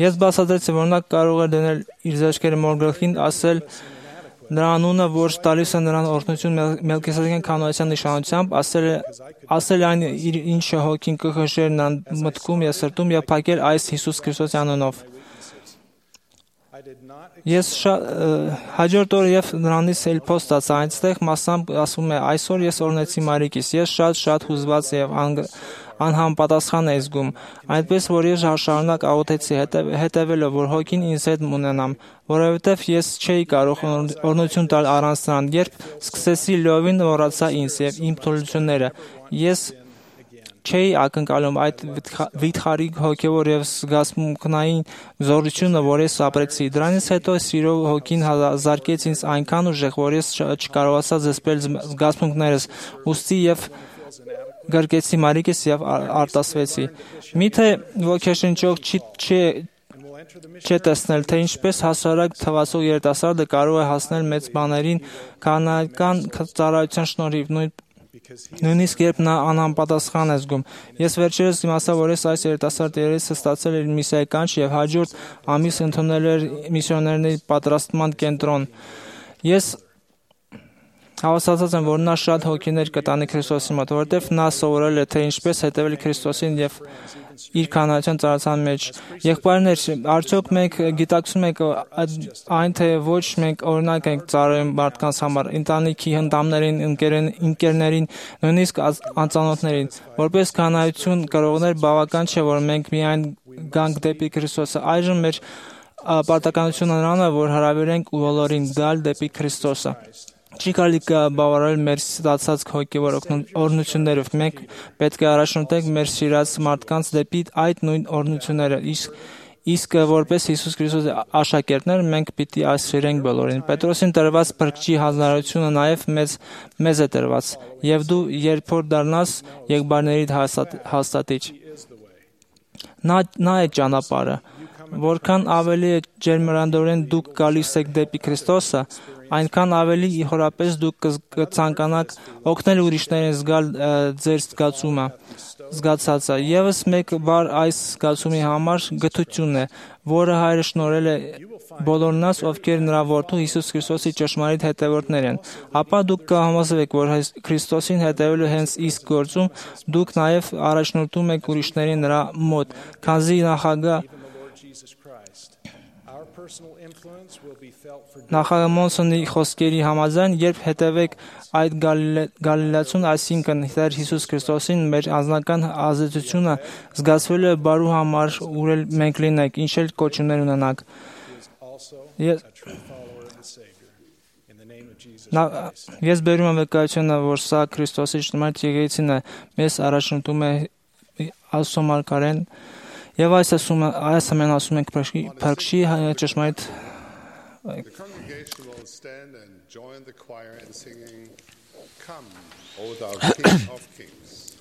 Speaker 8: Ես բացատրեցի, որ նա կարող է դնել իր զեղչերը մոր գլխին, ասել նրա անունը, որ տալիս է նրան օրհնություն մելքիսեդեկյան քահանայության նշանությամբ, ասել ասել այն ինչը հոգին կխշեր նրան մտքում եւ սրտում եւ փակել այս Հիսուս Քրիստոսի անունով։ Ես հաջորդ օրը եւ նրանից էլ post ստացա, այնտեղ մասամբ ասում է, այսօր ես օրհնեցի Մարիկիս, ես շատ շատ հուզված եւ անհամապատասխան էի զգում, այնպես որ ես շարունակ աղոթեցի հետևելով, որ հոգին ինձ հետ ունենամ, որովհետև ես չէի կարող օրհնություն տալ առանց նրան, երբ սկսեցի լիովին մոռացա ինձ եւ իմ թուլությունները, ես չէի ակնկալում այդ վիթխարի հոգևոր եւ զգացմունքային զորությունը, որ ես ապրեցի։ Դրանից հետո սիրով հոգին զարկեց ինձ այնքան ուժեղ, որ ես չկարողացա զսպել զգացմունքներս, ուստի եւ գրկեցի Մարիկիս եւ արտասվեցի։ Միթե ոգեշնչող չի չէ տեսնել, թե ինչպես հասարակ թվացող երիտասարդը կարող է հասնել մեծ բաներին քահանայական ծառայության շնորհիվ, նույն Նույնիսկ երբ նա անհամապատասխան է զգում։ Ես վերջերս իմացա, որ ես այս երիտասարդ երեսը ստացել էր միսիայի կանչ եւ հաջորդ ամիս ընդունել էր միսիոներների պատրաստման կենտրոն։ Ես հավաստացած եմ, որ նա շատ հոգիներ կտանի Քրիստոսի մոտ, որովհետև նա սովորել է, թե ինչպես հետևել Քրիստոսին եւ իր քահանայության ծառայության մեջ։ Եղբայրներ, արդյոք մենք գիտակցում ենք այն, թե ոչ մենք օրինակ ենք ծառայում մարդկանց համար, ընտանիքի հնդամներին, ընկերներին, նույնիսկ անծանոթներին։ Որպես քահանայություն կրողներ բավական չէ, որ մենք միայն գանք դեպի Քրիստոսը։ Այժմ մեր պարտականությունը նրան է, որ հրավիրենք բոլորին գալ դեպի Քրիստոսը։ Չի կարելի բավարարել մեր ստացած հոգևոր օրհնություններով։ Մենք պետք է առաջնորդենք մեր սիրած մարդկանց դեպի այդ նույն օրհնությունները։ Իսկ իսկ որպես Հիսուս Քրիստոսի աշակերտներ մենք պիտի սիրենք բոլորին։ Պետրոսին տրված փրկչի հանրությունը նաև մեզ մեզ է տրված, եւ դու երբ որ դառնաս եղբայրների հաստատիչ։ Նա նա է ճանապարհը։ Որքան ավելի ջերմրանդորեն դուք գալիս եք դեպի Քրիստոսը, այնքան ավելի իհորապես դուք կցանկանաք օգնել ուրիշներին զգալ ձեր զգացումը, զգացածը։ Եվս մեկ բառ այս զգացումի համար գթությունն է, որը Հայրը շնորհել է բոլորնաս, ովքեր նրա որդու Հիսուս Քրիստոսի ճշմարիտ հետևորդներ են։ Ապա դուք կհամոզվեք, որ Քրիստոսին հետևելու հենց իսկ գործում դուք նաև առաջնորդում եք ուրիշներին նրա մոտ, քանզի նախագահ Նախագահ Մոնսոնի խոսքերի համաձայն, երբ հետևեք այդ գալիլացուն, այսինքն Տեր Հիսուս Քրիստոսին, մեր անձնական ազդեցությունը զգացվելու է բարու համար, ուր էլ մենք լինենք, ինչ էլ կոչումներ ունենանք։ Ես բերում եմ վկայությունը, որ սա Քրիստոսի ճշմարիտ եկեղեցին է, մեզ առաջնորդում է Աստծո մարգարեն, եւ այս ասում այս ամեն ասում ենք փրկչի ճշմարիտ
Speaker 3: The congregation will stand and join the choir in singing, Come, O thou King of Kings.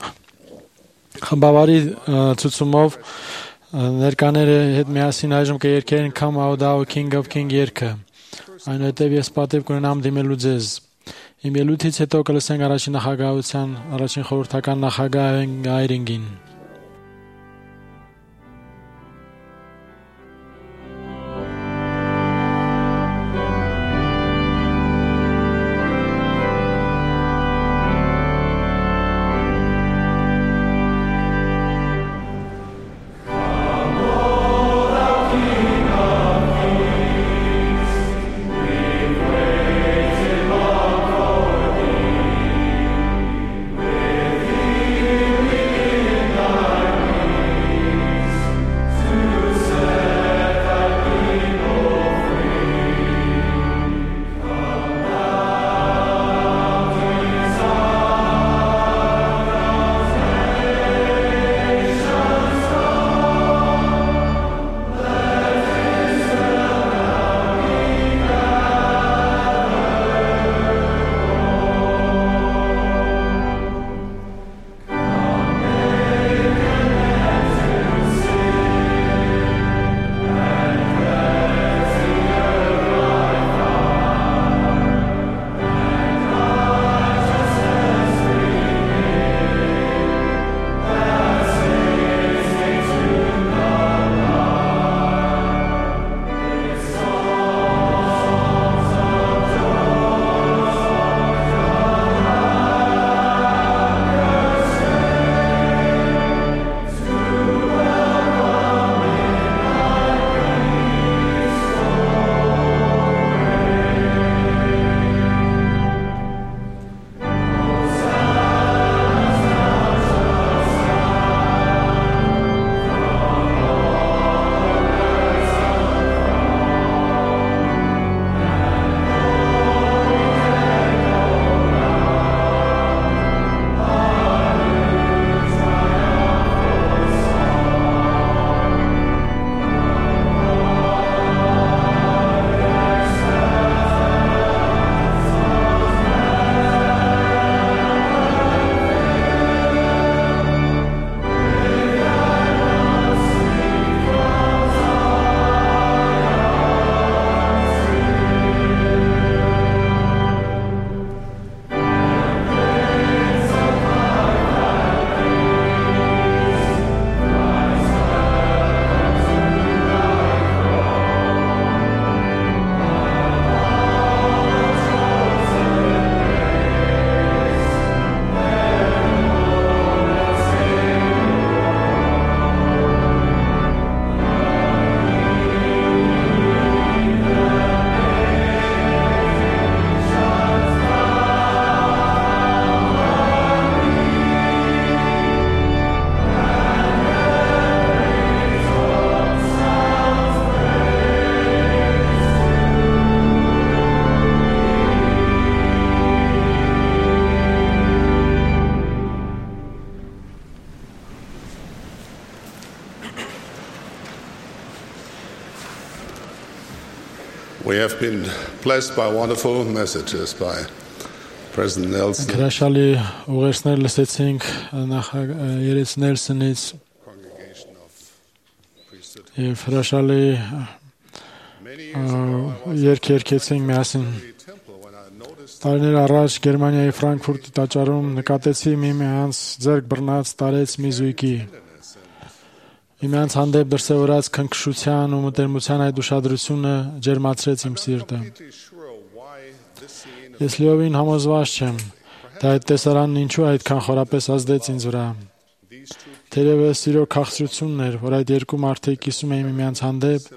Speaker 4: Խմբավարի ցուցումով ներկաները հետ միասին այժմ կերկեն Come, O thou King of King երգը։ Այնուհետև ես պատիվ կունենամ դիմելու ձեզ։ Իմ ելույթից հետո կլսենք առաջին նախագահության առաջին խորհրդական նախագահ Այրինգին։
Speaker 9: With
Speaker 3: have been blessed by wonderful messages by President Nelson.
Speaker 4: Հրաշալի ուղերձներ լսեցինք նախագահ Նելսոնից եւ հրաշալի երգ երգեցինք միասին։ Տարիներ առաջ Գերմանիայի Ֆրանկֆուրտի տաճարում նկատեցի միմյանց ձեռք բռնած տարեց մի զույգի։ Միմյանց հանդեպ դրսևորած քնքշության ու մտերմության այդ ուշադրությունը ջերմացրեց իմ սիրտը։ Ես լիովին համոզված չեմ, թե այդ տեսարանն ինչու այդքան խորապես ազդեց ինձ վրա։ Թերևս սիրո քաղցրությունն էր, որ այդ երկու մարդիկ կիսում էին միմյանց հանդեպ,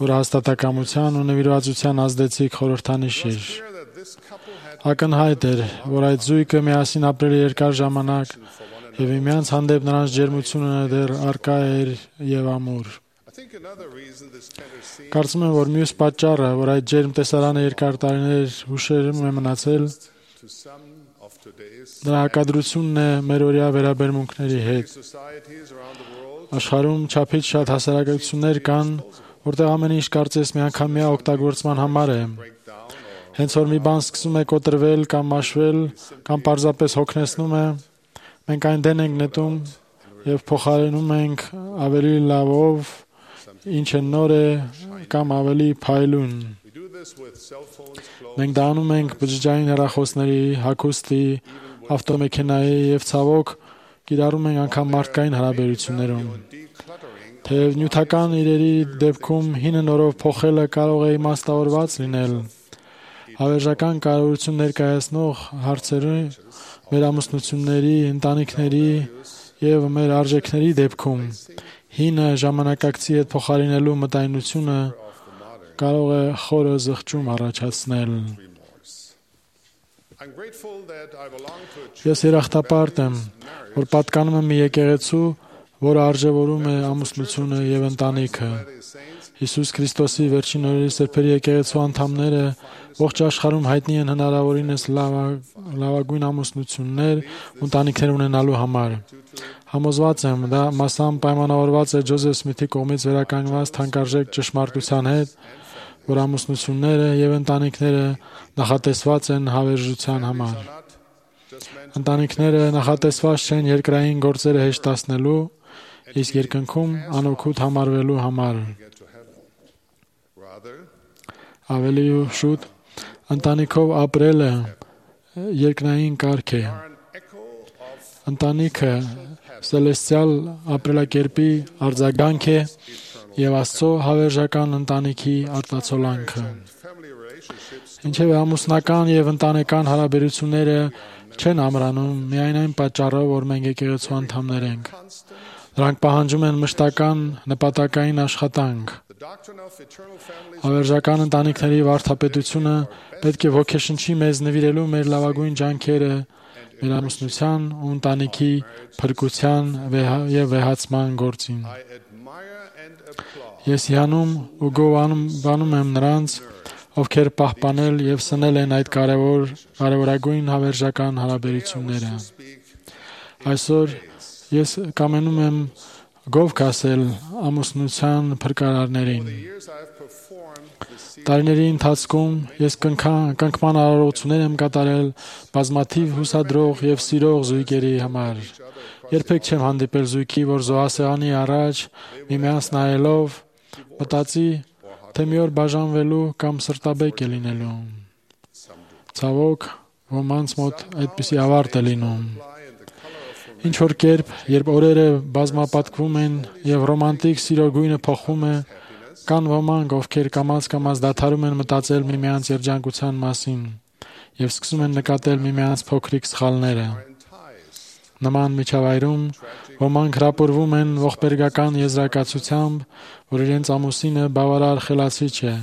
Speaker 4: որ հաստատակամության ու նվիրվածության ազդեցիկ խորհրդանիշ էր։ Ակնհայտ էր, որ այդ զույգը միասին ապրել երկար ժամանակ եւ միմյանց հանդեպ նրանց ջերմությունը դեռ առկա էր եւ ամուր։ Կարծում եմ, որ մյուս պատճառը, որ այդ ջերմ տեսարանը երկար տարիներ հուշերում է մնացել, դրա հակադրությունն է մեր օրյա վերաբերմունքների հետ։ Աշխարհում չափից շատ հասարակություններ կան, որտեղ ամեն ինչ կարծես միանգամյա օգտագործման համար է։ Հենց որ մի բան սկսում է կոտրվել կամ մաշվել, կամ պարզապես հոգնեցնում է, մենք այն դեն ենք նետում եւ փոխարինում ենք ավելի լավով, ինչը նոր է կամ ավելի փայլուն։ Մենք դա անում ենք բջջային հեռախոսների, հագուստի, ավտոմեքենայի եւ ցավոք կիրառում ենք անգամ մարդկային հարաբերություններում։ Թեև նյութական իրերի դեպքում հինը նորով փոխելը կարող է իմաստավորված լինել, հավերժական կարևորություն ներկայացնող հարցերը մեր ամուսնությունների, ընտանիքների եւ մեր արժեքների դեպքում հինը ժամանակակցի հետ փոխարինելու մտայնությունը կարող է խորը զղջում առաջացնել։ Ես երախտապարտ եմ, որ պատկանում եմ մի եկեղեցու, որը արժևորում է ամուսնությունը եւ ընտանիքը։ Հիսուս Քրիստոսի վերջին օրերի սրբերի եկեղեցու անդամները ողջ աշխարհում հայտնի են հնարավորինս լավագույն ամուսնություններ ու ընտանիքներ ունենալու համար։ Համոզված եմ, դա մասամբ պայմանավորված է Ջոզեֆ Սմիթի կողմից վերականգնված թանկարժեք ճշմարտության հետ, որ ամուսնությունները եւ ընտանիքները նախատեսված են հավերժության համար։ Ընտանիքները նախատեսված չեն երկրային գործերը հեշտացնելու, իսկ երկնքում անօգուտ համարվելու համար։ Ավելի շուտ ընտանիքով ապրելը երկնային կարգ է։ Ընտանիքը սելեստիալ ապրելակերպի արձագանք է եւ Աստծո հավերժական ընտանիքի արտացոլանքը։ Ինչևէ ամուսնական եւ ընտանեկան հարաբերությունները չեն ամրանում միայն այն պատճառով, որ մենք եկեղեցու անդամներ ենք։ Դրանք պահանջում են մշտական նպատակային աշխատանք։ Հավերժական ընտանիքների վարդապետությունը պետք է ոգեշնչի մեզ նվիրելու մեր լավագույն ջանքերը մեր ամուսնության ու ընտանիքի փրկության եւ վեհացման գործին։ Ես հիանում ու գովանում եմ նրանց, ովքեր պահպանել եւ սնել են այդ կարևոր կարևորագույն հավերժական հարաբերությունները։ Այսօր ես կամենում եմ գովք ասել ամուսնության փրկարարներին։ Տարիների ընթացքում ես կնքման արարողություններ եմ կատարել բազմաթիվ հուսադրող եւ սիրող զույգերի համար։ Երբեք չեմ հանդիպել զույգի, որ զոհասեղանի առաջ միմյանց նայելով մտածի, թե մի օր բաժանվելու կամ սրտաբեկ է լինելու։ Ցավոք, ոմանց մոտ այդպիսի ավարտ է լինում։ Ինչ որ կերպ, երբ օրերը բազմապատկվում են եւ ռոմանտիկ սիրո գույնը փոխվում է, կան ոմանք, ովքեր կամաց-կամաց դադարում են մտածել միմյանց երջանկության մասին եւ սկսում են նկատել միմյանց փոքրիկ սխալները։ Նման միջավայրում ոմանք հրապուրվում են ողբերգական եզրակացությամբ, որ իրենց ամուսինը բավարար խելացի չէ,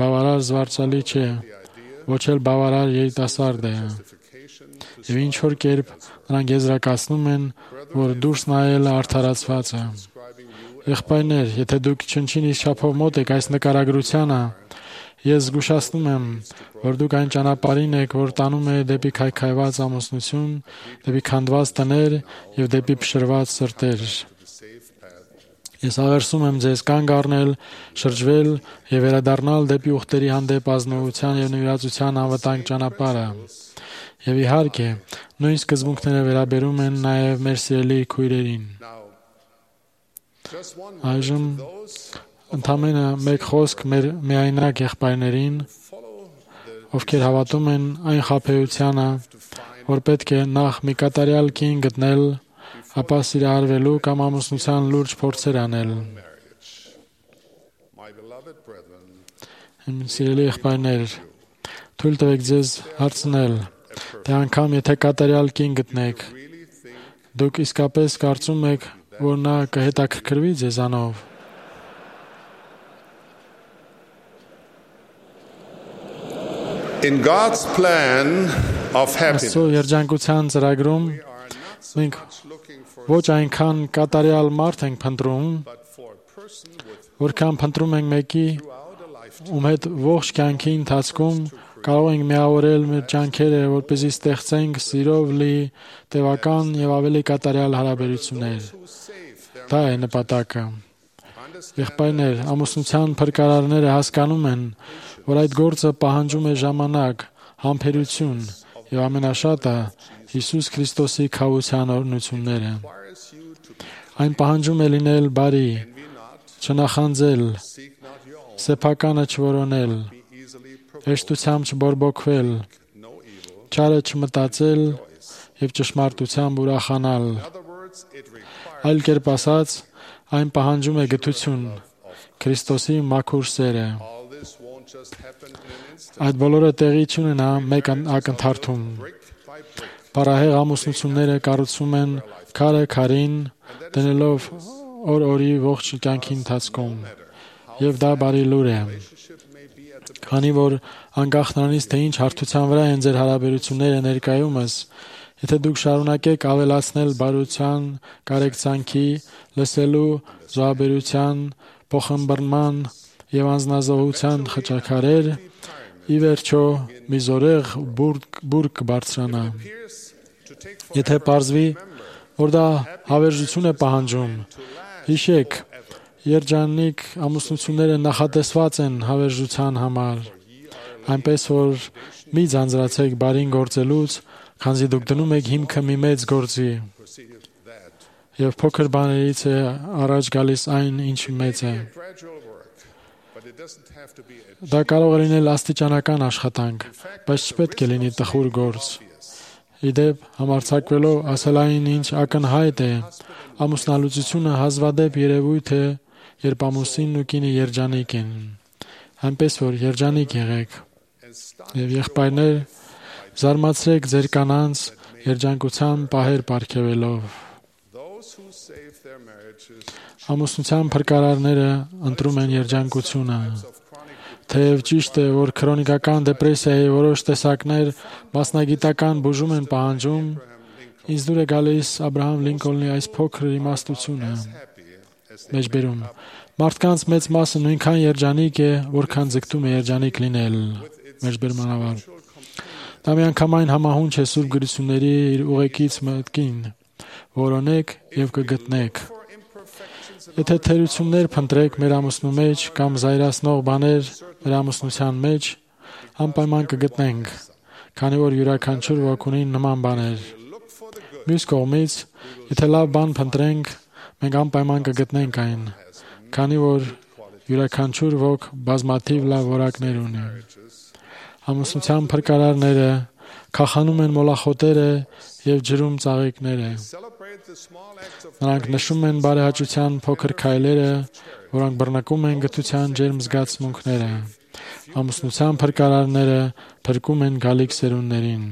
Speaker 4: բավարար զվարճալի չէ, ոչ էլ բավարար երիտասարդ է։ Եվ ինչ որ կերպ նրանք եզրակացնում են, որ դուրս նայելը արդարացված է։ Եղբայրներ, եթե դուք չնչին չափով մոտ եք այս նկարագրությանը, ես զգուշացնում եմ, որ դուք այն ճանապարհին եք, որ տանում է դեպի քայքայված ամուսնություն, դեպի քանդված տներ եւ դեպի փշրված սրտեր։ Ես աղերսում եմ ձեզ կանգ առնել, շրջվել եւ վերադառնալ դեպի ուխտերի հանդեպ ազնվության եւ նվիրածության անվտանգ ճանապարհը։ Եվ իհարկե, նույն սկզբունքները վերաբերում են նաեւ մեր սիրելի քույրերին։ Այժմ ընդամենը մեկ խոսք մեր միայնակ եղբայրներին, ովքեր հավատում են այն խաբեությանը, որ պետք է նախ մի կատարյալ կին գտնել, ապա սիրահարվելու կամ ամուսնության լուրջ փորձեր անել։ Իմ սիրելի եղբայրներ, թույլ տվեք ձեզ հարցնել, թե անգամ եթե կատարյալ կին գտնեք, դուք իսկապես կարծում եք, որ նա կհետաքրքրվի ձեզանով։
Speaker 3: In God's plan of happiness,
Speaker 4: Աստծո երջանկության ծրագրում մենք ոչ այնքան կատարյալ մարդ ենք փնտրում, որքան փնտրում ենք մեկի, ում հետ ողջ կյանքի ընթացքում կարող ենք միավորել մեր ջանքերը, որպեսզի ստեղծենք սիրով լի, տևական եւ ավելի կատարյալ հարաբերություններ։ Դա է նպատակը։ Եղբայրներ, ամուսնության փրկարարները հասկանում են, որ այդ գործը պահանջում է ժամանակ, համբերություն եւ ամենաշատը Հիսուս Քրիստոսի քավության օրհնությունները։ Այն պահանջում է լինել բարի, չնախանձել, սեփականը չորոնել, հեշտությամբ չբորբոքվել, չարը չմտածել եւ ճշմարտությամբ ուրախանալ։ Այլ կերպ ասած, այն պահանջում է գթություն, Քրիստոսի մաքուր սերը։ Այդ բոլորը տեղի չունենա մեկ ակնթարթում։ Բարահեղ ամուսնությունները կառուցվում են քարը քարին, դնելով օր-օրի ողջ կյանքի ընթացքում, եւ դա բարի լուր է։ Քանի որ անկախ նրանից, թե ինչ հարթության վրա են ձեր հարաբերությունները ներկայումս, եթե դուք շարունակեք ավելացնել բարության, կարեկցանքի, լսելու, զոհաբերության, փոխըմբռնման եւ անձնազոհության խճաքարեր, ի վերջո մի զորեղ բուր կբարձրանա։ Եթե պարզվի, որ դա հավերժություն է պահանջում, հիշեք, երջանիկ ամուսնությունները նախատեսված են հավերժության համար, այնպես որ մի ձանձրացեք բարին գործելուց, քանզի դուք դնում եք հիմքը մի մեծ գործի, եւ փոքր բաներից է առաջ գալիս այն, ինչ մեծ է։ Դա կարող է լինել աստիճանական աշխատանք, բայց չպետք է լինի տխուր գործ։ Իդեպ, համարձակվելով ասել այն, ինչ ակնհայտ է, ամուսնալուծությունը հազվադեպ երևույթ է, երբ ամուսինն ու կինը երջանիկ են։ Այնպես որ երջանիկ եղեք։ Եվ եղբայրներ, զարմացրեք ձեր կանանց երջանկության պահեր պարգևելով։ Ամուսնության փրկարարները ընտրում են երջանկությունը։ Թեև ճիշտ է, որ քրոնիկական դեպրեսիայի որոշ տեսակներ մասնագիտական բուժում են պահանջում, ինձ դուր է գալիս Աբրահամ Լինկոլնի այս փոքր իմաստությունը։ Մեջբերում. մարդկանց մեծ մասը նույնքան երջանիկ է, որքան ձգտում է երջանիկ լինել։ Մեջբերման ավար. Դա միանգամայն համահունչ է Սուրբ գրությունների իր ուղեկից մտքին. որոնեք եւ կգտնեք։ Եթե թերություններ փնտրեք մեր ամուսնու մեջ կամ զայրացնող բաներ մեր ամուսնության մեջ, անպայման կգտնենք, քանի որ յուրաքանչյուր ոք ունի նման բաներ։ Մյուս կողմից, եթե լավ բան փնտրենք, մենք անպայման կգտնենք այն, քանի որ յուրաքանչյուր ոք բազմաթիվ լավ որակներ ունի։ Ամուսնության փրկարարները քախանում են մոլախոտերը եւ ջրում ծաղիկները։ Նրանք նշում են բարեհաճության փոքր քայլերը, որոնք բռնկում են գթության ջերմ զգացմունքները։ Ամուսնության փրկարարները փրկում են գալիք սերունդներին։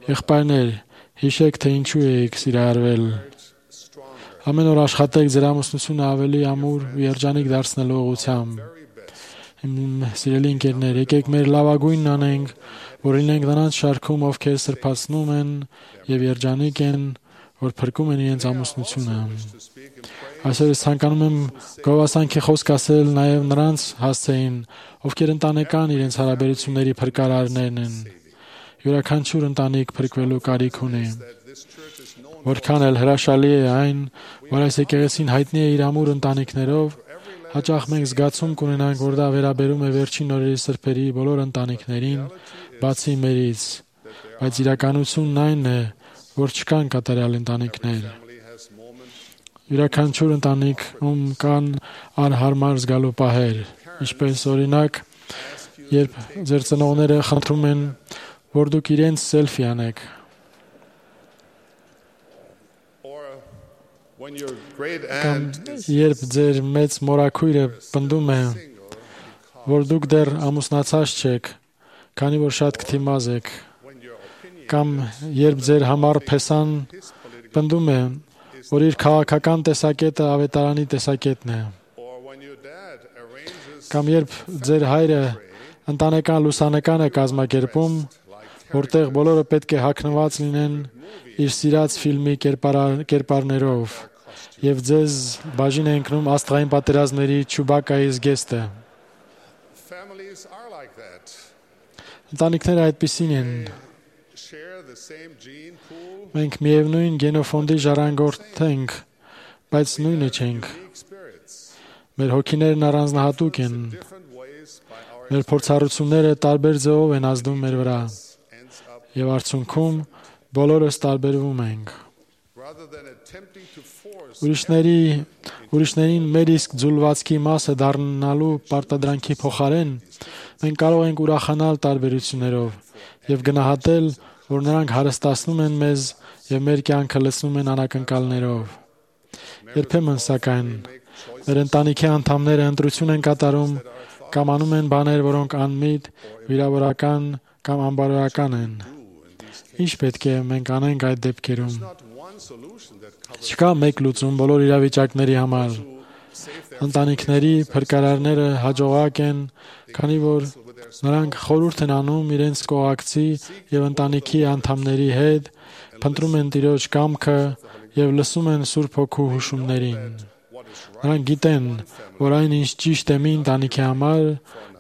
Speaker 4: Եղբայրներ, հիշեք, թե ինչու եք սիրահարվել։ Ամեն օր աշխատեք ձեր ամուսնությունը ավելի ամուր ու երջանիկ դարձնելու ուղղությամբ։ Իմ սիրելի ընկերներ, եկեք մեր լավագույնն անենք, որ լինենք նրանց շարքում, ովքեր սրբացնում են եւ երջանիկ են, որ փրկում են իրենց ամուսնությունը։ Այսօր ես ցանկանում եմ գովասանքի խոսք ասել նաեւ նրանց հասցեին, ովքեր ընտանեկան իրենց հարաբերությունների փրկարարներն են։ Յուրաքանչյուր ընտանիք փրկվելու կարիք ունի։ Որքան էլ հրաշալի է այն, որ այս եկեղեցին հայտնի է իր ամուր ընտանիքներով, հաճախ մենք զգացում կունենանք, որ դա վերաբերում է վերջին օրերի սրբերի բոլոր ընտանիքներին, բացի մերից, բայց իրականությունն այն է, որ չկան կատարյալ ընտանիքներ։ Յուրաքանչյուր ընտանիքում կան անհարմար զգալու պահեր, ինչպես օրինակ, երբ ձեր ծնողները խնդրում են, որ դուք իրենց սելֆի անեք, կամ երբ ձեր մեծ մորաքույրը պնդում է, որ դուք դեռ ամուսնացած չեք, քանի որ շատ քթիմազ եք, կամ երբ ձեր համառ փեսան պնդում է, որ իր քաղաքական տեսակետը ավետարանի տեսակետն է, կամ երբ ձեր հայրը ընտանեկան լուսանկար է կազմակերպում, որտեղ բոլորը պետք է հագնված լինեն իր սիրած ֆիլմի կերպարներով, եւ ձեզ բաժին է ընկնում աստղային պատերազմների Չուբակայի զգեստը։ Ընտանիքները այդպիսին են։ Մենք միևնույն գենոֆոնդի ժառանգորդ ենք, բայց նույնը չենք։ Մեր հոգիներն առանձնահատուկ են։ Մեր փորձառությունները տարբեր ձևով են ազդում մեր վրա, եւ արդյունքում բոլորս տարբերվում ենք։ Ուրիշների, ուրիշներին մեր իսկ ձուլվածքի մասը դառնալու պարտադրանքի փոխարեն մենք կարող ենք ուրախանալ տարբերություններով եւ գնահատել, որ նրանք հարստացնում են մեզ եւ մեր կյանքը լցնում են անակնկալներով։ Երբեմն, սակայն, մեր ընտանիքի անդամները ընտրություն են կատարում կամ անում են բաներ, որոնք անմիտ, վիրավորական կամ անբարոյական են։ Ինչ պետք է մենք անենք այդ դեպքերում։ Չկա մեկ լուծում բոլոր իրավիճակների համար։ Ընտանիքների փրկարարները հաջողակ են, քանի որ նրանք խորհուրդ են անում իրենց կողակցի եւ ընտանիքի անդամների հետ, փնտրում են Տիրոջ կամքը եւ լսում են Սուրբ Հոգու հուշումներին։ Նրանք գիտեն, որ այն, ինչ ճիշտ է մի ընտանիքի համար,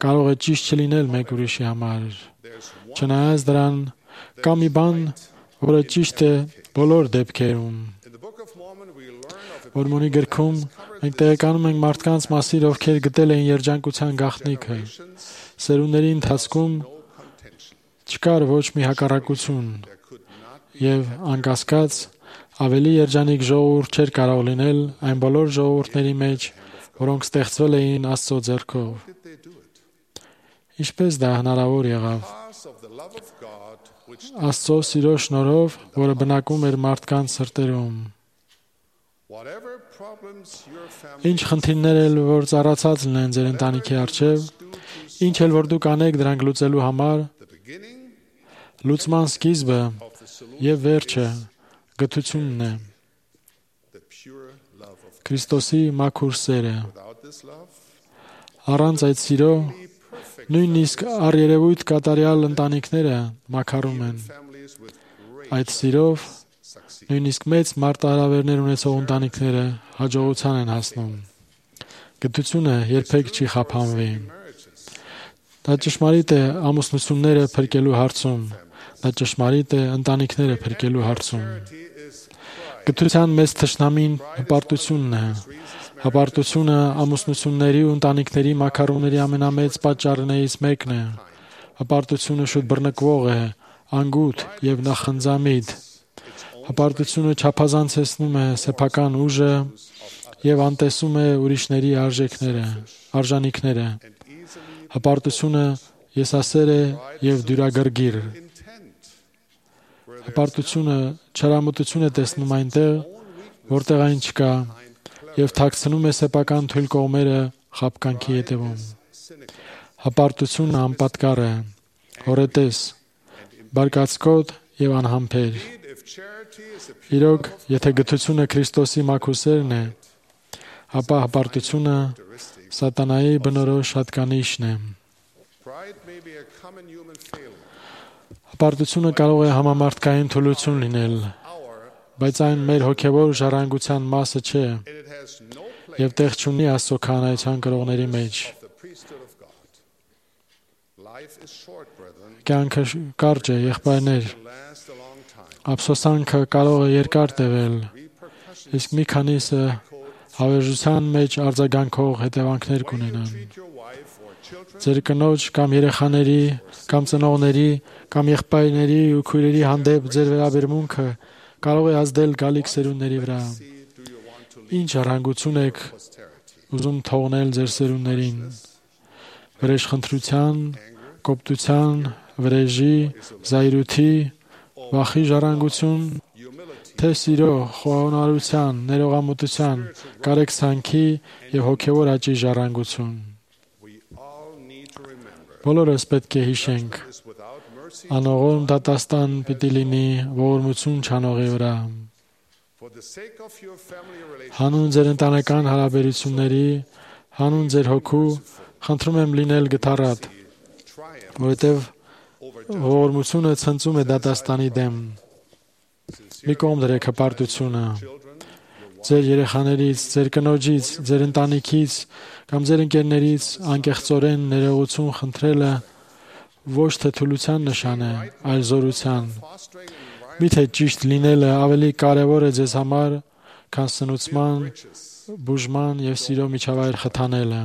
Speaker 4: կարող է ճիշտ չլինել մեկ ուրիշի համար։ Չնայած դրան, կա մի բան, որը ճիշտ է բոլոր դեպքերում։ Մորմոնի գրքում մենք տեղեկանում ենք մարդկանց մասին, ովքեր գտել էին երջանկության գաղտնիքը։ Սերունդների ընթացքում չկար ոչ մի հակառակություն, եւ անկասկած ավելի երջանիկ ժողովուրդ չէր կարող լինել այն բոլոր ժողովուրդների մեջ, որոնք ստեղծվել էին Աստծո ձեռքով։ Ինչպես դա հնարավոր եղավ։ Աստծո սիրո շնորհով, որը բնակվում էր մարդկանց սրտերում։ Ինչ խնդիրներ էլ որ ծառացած լինեն ձեր ընտանիքի առջև, ինչ էլ որ դուք անեք դրանք լուծելու համար, լուծման սկիզբը եւ վերջը գթությունն է։ Քրիստոսի մաքուր սերը։ Առանց այդ սիրո նույնիսկ առերևույթ կատարյալ ընտանիքները մաքարում են։ Այդ սիրով նույնիսկ մեծ մարտահրավերներ ունեցող ընտանիքները հաջողության են հասնում։ Գթությունը երբեք չի խափանվի։ Դա ճշմարիտ է ամուսնությունները փրկելու հարցում։ Դա ճշմարիտ է ընտանիքները փրկելու հարցում։ Գթության մեծ թշնամին հպարտությունն է։ Հպարտությունը ամուսնությունների ու ընտանիքների մաքարումների ամենամեծ պատճառներից մեկն է։ Հպարտությունը շուտ բռնկվող է, անգութ եւ նախընձամիտ։ Հպարտությունը չափազանցեցնում է սեփական ուժը եւ անտեսում է ուրիշների արժեքները, արժանինքները։ Հպարտությունը եսասեր է եւ դյուրագրգիռ։ Հպարտությունը չարամտություն է տեսնում այնտեղ, որտեղ այն չկա, եւ թաքցնում է սեփական թույլ կողմերը խաբկանքի հետևում։ Հպարտությունը անպատկառ է, հորետես, բարկացկոտ եւ անհամբեր։ Իրոք, եթե գթությունը Քրիստոսի մաքուսերն է, ապա հպարտությունը սատանայի բնորոշ հատկանիշն է։ Հպարտությունը կարող է համամարտկային թուլություն լինել, բայց այն մեր հոգևոր ժառանգության մասը չէ եւ տեղ չունի Աստծո քահանայության կրողների մեջ։ Կյանքը կարճ է, եղբայրներ։ Ափսոսանքը կարող է երկար տևել, իսկ մի քանիսը հավերժության մեջ արձագանքող հետևանքներ կունենան։ Ձեր կնոջ կամ երեխաների, կամ ծնողների, կամ եղբայրների ու քույրերի հանդեպ ձեր վերաբերմունքը կարող է ազդել գալիք սերունդների վրա։ Ինչ առհանգություն եք ուզում թողնել ձեր սերունդներին։ Վրեժխնդրության, կոպտության, վրեժի, զայրույթի, վախի ժառանգություն, թե սիրո, խոնարհության, ներողամտության, կարեկցանքի եւ հոգեվոր աճի ժառանգություն։ Բոլորս պետք է հիշենք, անողորմ դատաստան պիտի լինի ողորմություն չանողի վրա։ Հանուն ձեր ընտանեկան հարաբերությունների, հանուն ձեր հոգու, խնդրում եմ լինել գթառատ, որովհետև ողորմությունը ցնծում է դատաստանի դեմ։ Մի կողմ դրեք հպարտությունը։ Ձեր երեխաներից, ձեր կնոջից, ձեր ընտանիքից կամ ձեր ընկերներից անկեղծորեն ներողություն խնդրելը ոչ թե թուլության նշան է, այլ զորության։ Միթե ճիշտ լինելը ավելի կարևոր է ձեզ համար, քան սնուցման, բուժման եւ սիրո միջավայր խթանելը։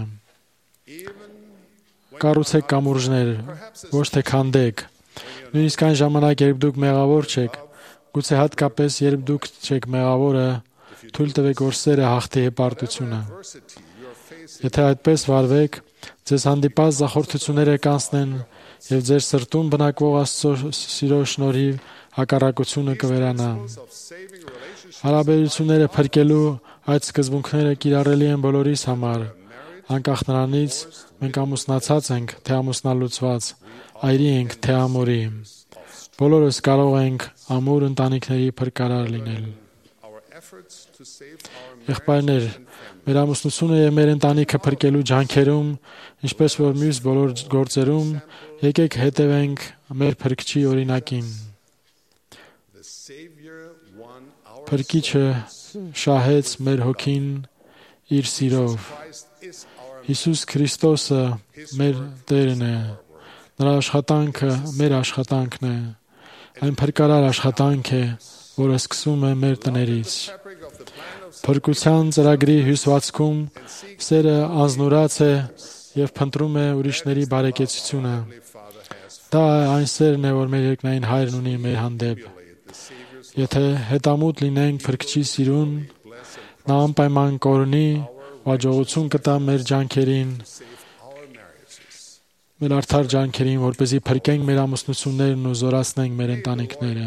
Speaker 4: Կառուցեք կամուրջներ, ոչ թե քանդեք։ Նույնիսկ այն ժամանակ, երբ դուք մեղավոր չեք, գուցե հատկապես երբ դուք չեք մեղավորը, թույլ տվեք, որ սերը հաղթի հպարտությունը։ Եթե այդպես վարվեք, ձեզ հանդիպած զախորթությունները կանցնեն եւ ձեր սրտում բնակվող Աստծո սիրո շնորհիվ հակառակությունը կվերանա։ Հարաբերությունները փրկելու այդ սկզբունքները կիրառելի են բոլորիս համար, անկախ նրանից մենք ամուսնացած ենք, թե ամուսնալուծված, այրի ենք, թե ամուրի։ Բոլորս կարող ենք ամուր ընտանիքների փրկարար լինել։ Եղբայրներ, մեր ամուսնությունը եւ մեր ընտանիքը փրկելու ջանքերում, ինչպես որ մյուս բոլոր գործերում, եկեք հետևենք մեր Փրկչի օրինակին։ Փրկիչը շահեց մեր հոգին իր սիրով։ Հիսուս Քրիստոսը մեր Տերն է։ Նրա աշխատանքը մեր աշխատանքն է։ Այն փրկարար աշխատանք է, որը սկսում է մեր տներից։ Փրկության ծրագրի հյուսվածքում սերը անznուրաց է եւ փնտրում է ուրիշների բարեկեցությունը։ Դա այն սերն է, որ մեր երկնային Հայրն ունի մեր հանդեպ։ Եթե հետամուտ լինենք Փրկչի սիրուն, նա անպայման կօրհնի, աջողություն կտա մեր ջանքերին, մեր արդար ջանքերին, որպեսզի փրկենք մեր ամուսնություններն ու զորացնենք մեր ընտանիքները։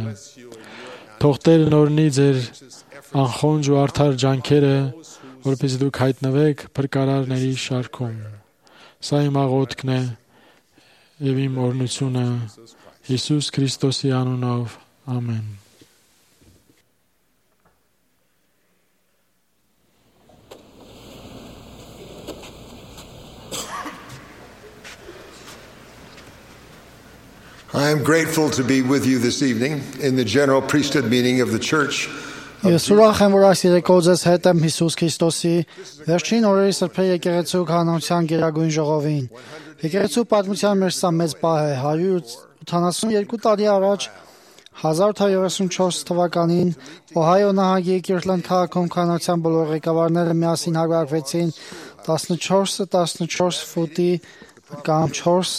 Speaker 4: Թող Տերն օրհնի ձեր անխոնջ ու արդար ջանքերը, որպեսզի դուք հայտնվեք փրկարարների շարքում։ Սա իմ աղոթքն է եւ իմ օրհնությունը Հիսուս Քրիստոսի անունով։ Ամեն։
Speaker 9: I am grateful to be with you this evening in the general priesthood meeting of the Church.
Speaker 2: Ես ուրախ եմ, որ այս երեկո ձեզ հետ եմ Հիսուս Քրիստոսի վերջին օրերի սրբե եկեղեցու քահանության գերագույն ժողովին։ Եկեղեցու պատմության մեջ սա մեծ պահ է։ հարյուր ութանասունյոթ տարի առաջ հազար ութ հարյուր երեսունչորս թվականին Օհայո նահանգի Կիրտլենդ քաղաքում քահանության բոլոր ղեկավարները միասին հարվարկվեցին տասնչորս տասնչորս ֆուտի կամ չորս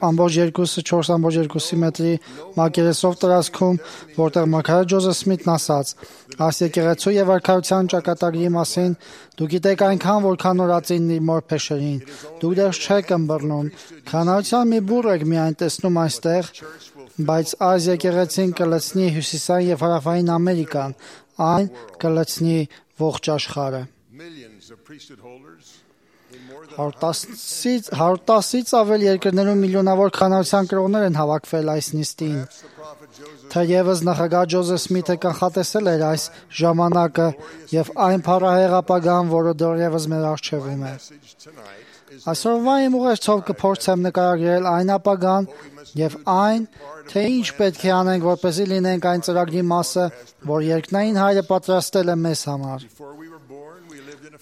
Speaker 2: ամբողջ երկուսը չորս ամբողջ երկուսի մետրի մակերեսով տարածքում, որտեղ մարգարե Ջոզեֆ Սմիթն ասաց. «Այս եկեղեցու եւ արքայության ճակատագրի մասին դուք գիտեք այնքան, որքան նորածին իր մոր փեշերին։ Դուք դեռ չեք ըմբռնում։ Քահանայության մի բուռ եք միայն տեսնում այստեղ, բայց այս եկեղեցին կլցնի հյուսիսային եւ հարավային Ամերիկան, այն կլցնի ողջ աշխարհը»։ հարյուր տասից ավել երկրներում միլիոնավոր քահանայության կրողներ են հավաքվել այս նիստին։ Թերևս նախագահ Ջոզեֆ Սմիթը կանխատեսել էր այս ժամանակը եւ այն փառահեղ ապագան, որը դեռևս մեր առջևում է։ Այսօրվա իմ ուղերձով կփորձեմ նկարագրել այն ապագան եւ այն, թե ինչ պետք է անենք, որպեսզի լինենք այն ծրագրի մասը, որ երկնային Հայրը պատրաստել է մեզ համար։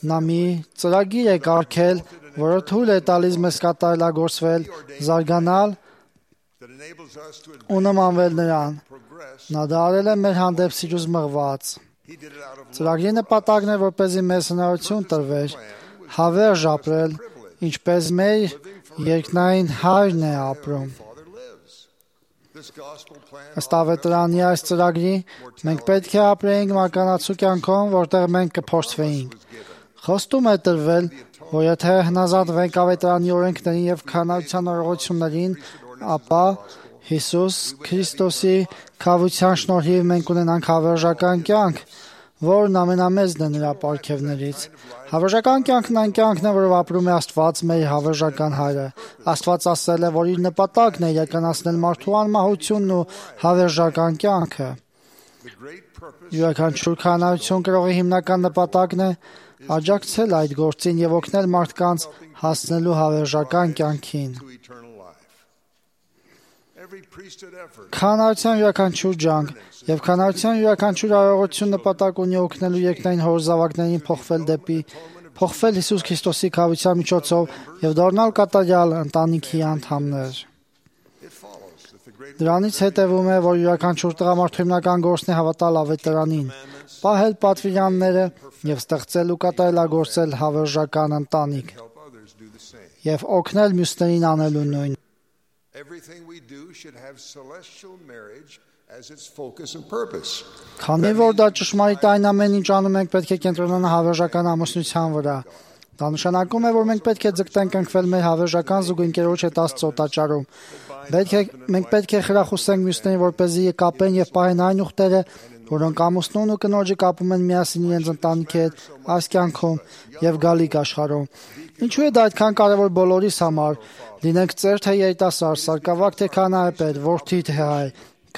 Speaker 2: Նա մի ծրագիր է կարգել, որը թույլ է տալիս մեզ կատարելագործվել, զարգանալ ու նմանվել նրան։ Նա դա արել է մեր հանդեպ սիրուց մղված։ Ծրագրի նպատակն է, որպեսզի մեզ հնարավորություն տրվեր հավերժ ապրել, ինչպես մեր երկնային Հայրն է ապրում։ Ըստ ավետարանի այս ծրագրի մենք պետք է ապրեինք մարկանացու կյանքով, որտեղ մենք կփորձվեինք։ Խոստում է տրվել, որ եթե հնազանդվենք ավետարանի օրենքներին եւ քանայության օրողություններին, ապա Հիսուս Քրիստոսի քավության շնորհիվ մենք ունենանք հավերժական կյանք, որն ամենամեծն է նրա պարգևներից։ Հավերժական կյանքն այն կյանքն է, որով ապրում է Աստված, մեր հավերժական Հայրը։ Աստված ասել է, որ իր նպատակն է իրականացնել մարդու անմահությունն ու հավերժական կյանքը։ Յուրաքանչյուր քահանայություն կրողի հիմնական նպատակն է աջակցել այդ գործին եւ օգնել մարդկանց հասնելու հավերժական կյանքին։ Քահանայության յուրաքանչյուր ջանք եւ քահանայության յուրաքանչյուր արարողություն նպատակ ունի օգնելու երկնային հոր զավակներին փոխվել դեպի փոխվել Հիսուս Քրիստոսի քավության միջոցով եւ դառնալ կատարյալ ընտանիքի անդամներ։ Դրանից հետևում է, որ յուրաքանչյուր տղամարդու հիմնական գործն է հավատալ ավետարանին, պահել պատվիրանները եւ ստեղծել ու կատարելագործել հավերժական ընտանիք եւ օգնել մյուսներին անելու նույն։
Speaker 9: Everything we do should have celestial marriage as its focus and purpose.
Speaker 2: Քանի որ դա ճշմարիտ այն ամեն ինչ անում ենք, պետք է կենտրոնանալ հավերժական ամուսնության վրա։ Դա նշանակում է, որ մենք պետք է ձգտենք ընկվել մեր հավերժական զուգընկերոջ հետ Աստծո տաճարում։ Պետք է մենք պետք է խրախուսենք մյուսներին, որպեսզի կապեն եւ պահեն այն ուխտերը, որոնք ամուսնուն ու կնոջը կապում են միասին իրենց ընտանիքի հետ այս կյանքում եւ գալիք աշխարհում։ Ինչու է դա այդքան կարևոր բոլորիս համար, լինենք ծեր թե երիտասարդ, սարկավակ թե քահանայապետ, որդի թե հայ,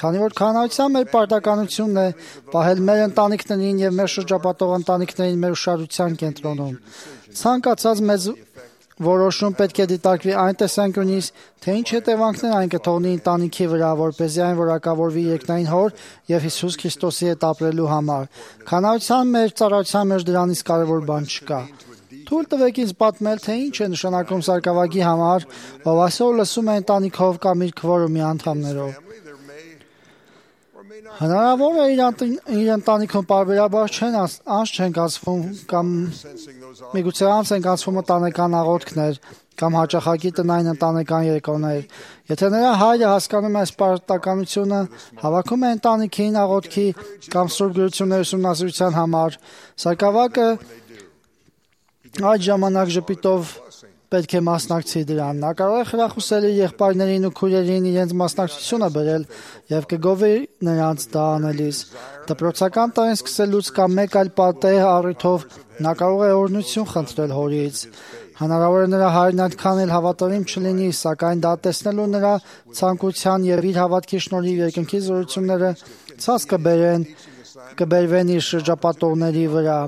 Speaker 2: քանի որ քահանայության մեր պարտականությունն է պահել մեր ընտանիքներին եւ մեր շրջապատող ընտանիքներին մեր ուշադրության կենտրոնում։ Ցանկացած մեծ որոշում պետք է դիտարկվի այն տեսանկյունից, թե ինչ հետևանքներ այն կթողնի ընտանիքի վրա, որպեսզի այն որակավորվի երկնային Հոր եւ Հիսուս Քրիստոսի հետ ապրելու համար։ Քահանայության մեր ծառայության մեջ դրանից կարևոր բան չկա։ Թույլ տվեք ինձ պատմել, թե ինչ է նշանակում սարկավագի համար, ով այսօր լսում է ընտանիքով կամ իր քվորումի անդամներով։ Հնարավոր է իր ընտանիքում պարբերաբար չեն անց չեն կացվում կամ միգուցե անց են կացվում ընտանեկան աղոթքներ կամ հաճախակի տնային ընտանեկան երեկոներ։ Եթե նրա հայրը հասկանում է այս պարտականությունը, հավաքում է ընտանիքին աղոթքի կամ սուրբ գրությունների ուսումնասիրության համար, սարկավակը այդ ժամանակ ժպիտով պետք է մասնակցի դրան։ Նա կարող է խրախուսել իր եղբայրներին ու քույրերին իրենց մասնակցությունը բերել եւ կգովի նրանց դա անելիս։ Դպրոցական տարին սկսելուց կամ մեկ այլ պատեհ առիթով նա կարող է օրհնություն խնդրել հորից։ Հնարավոր է նրա հայրն այդքան էլ հավատարիմ չլինի, սակայն դա տեսնելու նրա ցանկության եւ իր հավատքի շնորհիվ երկնքի զորությունները ցած կբերեն կբերվեն իր շրջապատողների վրա։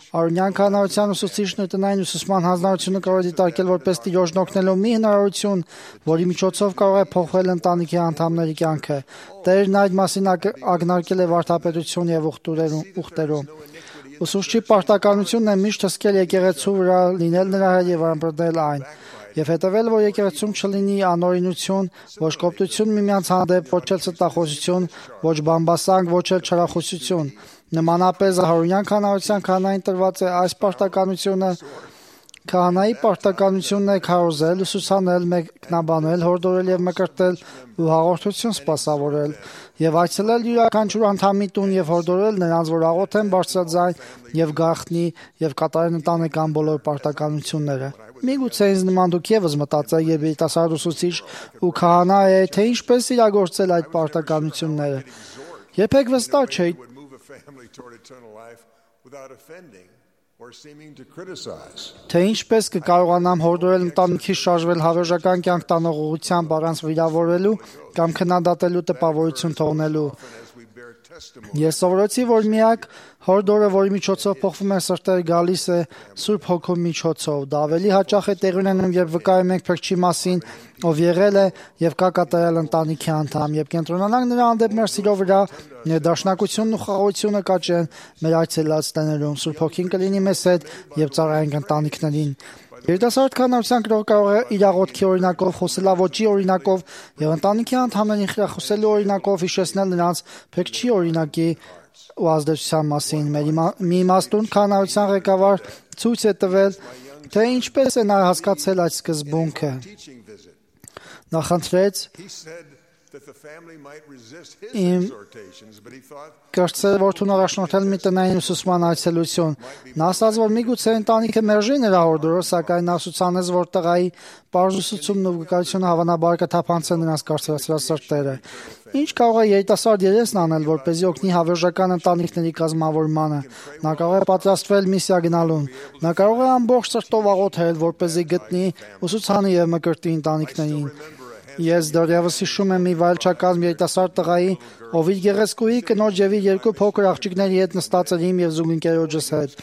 Speaker 2: Արոնյան քահանայության ուսուցիչն ու տնային ուսուցման հանձնարարությունը կարող է դիտարկել որպես տիրոջն օգնելու մի հնարավորություն, որի միջոցով կարող է փոխվել ընտանիքի անդամների կյանքը։ Տերն այդ մասին ակնարկել է վարդապետություն եւ ուխտերում։ Ուսուցչի պարտականությունն է միշտ հսկել եկեղեցու վրա, լինել նրա հետ եւ ամրապնդել այն, եւ հետեւել, որ եկեղեցում չլինի անօրինություն, ոչ կոպտություն միմյանց հանդեպ, ոչ էլ ստախոսություն, ոչ բամբասանք, ոչ էլ չարախոսություն։ Նմանապես հարունյան քահանայության քահանային տրված է այս պարտականությունը։ Քահանայի պարտականությունն է քարոզել, ուսուցանել, մեկնաբանել, հորդորել եւ մկրտել ու հաղորդություն սպասավորել եւ այցելել յուրաքանչյուր անդամի տուն եւ հորդորել նրանց, որ աղոթեն բարձրաձայն եւ գաղտնի եւ կատարեն ընտանեկան բոլոր պարտականությունները։ Միգուցե ինձ նման դուք եւս մտածեք, երբ երիտասարդ ուսուցիչ ու քահանա է, թե ինչպես իրագործել այդ պարտականությունները։ Երբեք վստահ չէի թե ինչպես կկարողանամ հորդորել ընտանիքի շարժվել հավերժական կյանք տանող ուղղությամբ առանց վիրավորելու կամ քննադատելու տպավորություն թողնելու։ Ես սովորեցի, որ միակ հորդորը, որի միջոցով փոխվում է սրտերը, գալիս է Սուրբ Հոգու միջոցով։ Դա ավելի հաճախ է տեղի ունենում, երբ վկայում ենք Փրկչի մասին, ով եղել է եւ կա կատարել ընտանիքի անդամ, եւ կենտրոնանանք նրա հանդեպ մեր սիրո վրա, ներդաշնակությունն ու խաղաղությունը կաճեն մեր այցելած տներում։ Սուրբ Հոգին կլինի մեզ հետ եւ ծառայենք ընտանիքներին։ Երիտասարդ կանանցան կարող է իր աղոթքի օրինակով, խոսելավոճի օրինակով եւ ընտանիքի անդամներին խրախուսելու օրինակով հիշեցնել նրանց Փրկչի օրինակի ու ազդեցության մասին։ Մի իմաստուն կանանցան ղեկավար ցույց է տվել, թե ինչպես է նա հասկացել այդ սկզբունքը։ Նա խնդրեց իմ կրտսեր որդուն առաջնորդել մի տնային ուսուցման այցելություն։ Նա ասաց, որ միգուցե ընտանիքը մերժի նրա հորդորը, սակայն նա ուսուցանեց, որ տղայի պարզ ուսուցումն ու վկայությունը հավանաբար կթափանցեն նրանց կարծրացրած սրտերը։ Ինչ կարող է երիտասարդ երեսն անել, որպեսզի օգնի հավերժական ընտանիքների կազմավորմանը։ Նա կարող է պատրաստվել միսիա գնալուն։ Նա կարող է ամբողջ սրտով աղոթել, որպեսզի գտնի ուսուցանի եւ մկրտի ընտանիքներին։ Ես դեռևս հիշում եմ մի վայելչակազմ երիտասարդ տղայի, ով իր գեղեցկուհի կնոջ եւ իր երկու փոքր աղջիկների հետ նստած էր իմ եւ զուգընկերոջս հետ։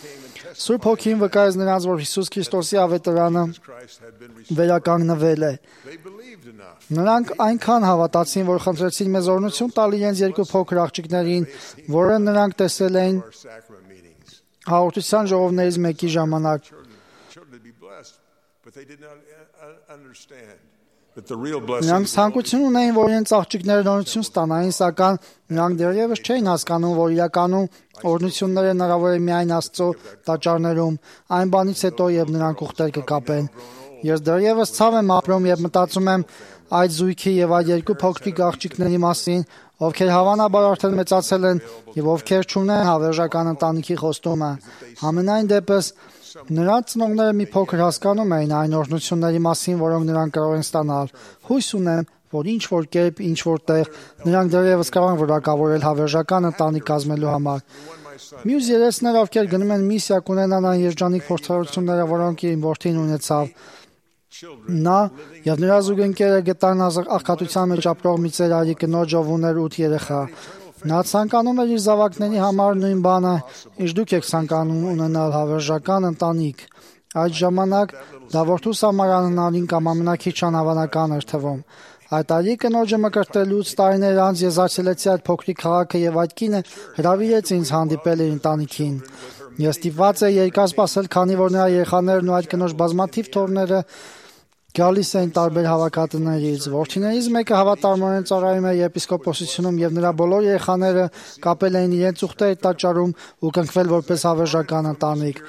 Speaker 2: Սուրբ Հոգին վկայեց նրանց, որ Հիսուս Քրիստոսի ավետարանը վերականգնվել է։ Նրանք այնքան հավատացին, որ խնդրեցին մեզ օրհնություն տալ իրենց երկու փոքր աղջիկներին, որը նրանք տեսել էին հաղորդության ժողովներից մեկի ժամանակ։ Նրանք ցանկություն ունեին, որ իրենց աղջիկները օրհնություն ստանային, սակայն նրանք դեռևս չէին հասկանում, որ իրականում օրհնությունները հնարավոր է միայն Աստծո տաճարներում, այն բանից հետո, երբ նրանք ուխտեր կկապեն։ Ես դեռևս ցավ եմ ապրում եւ մտածում եմ այդ զույգի եւ այդ երկու փոքրիկ աղջիկների մասին, ովքեր հավանաբար արդեն մեծացել են եւ ովքեր չունեն հավերժական ընտանիքի խոստումը։ Համենայն դեպս նրանց ծնողները մի փոքր հասկանում էին այն օրհնությունների մասին, որոնք նրանք կարող են ստանալ։ Հույս ունեմ, որ ինչ որ կերպ, ինչ որ տեղ նրանք դեռևս կարող են որակավորել հավերժական ընտանիք կազմելու համար։ Մյուս երեցները, ովքեր գնում են միսիա, կունենան այն երջանիկ փորձառությունները, որոնք իր որդին ունեցավ։ Նա եւ նրա զուգընկերը գտան աղքատության մեջ ապրող մի ծերարի կնոջ, ով ուներ ութ երեխա։ Նա ցանկանում էր իր զավակների համար նույն բանը, ինչ դուք եք ցանկանում ունենալ հավերժական ընտանիք։ Այդ ժամանակ դա որդուս համար անհնարին կամ ամենակիչ անհավանական էր թվում։ Այդ արի կնոջը մկրտելուց տարիներ անց ես այցելեցի այդ փոքրիկ քաղաքը եւ այդ կինը հրավիրեց ինձ հանդիպել իր ընտանիքին։ Ես ստիպված էի երկար սպասել, քանի որ նրա երեխաներն ու այդ կնոջ բազմաթիվ թոռները գալիս էին տարբեր հավաքատներից։ Որդիներից մեկը հավատարմորեն ծառայում էր եպիսկոպոսությունում եւ նրա բոլոր երեխաները կապել էին իրենց ուխտերի տաճարում ու կնքվել որպես հավերժական ընտանիք։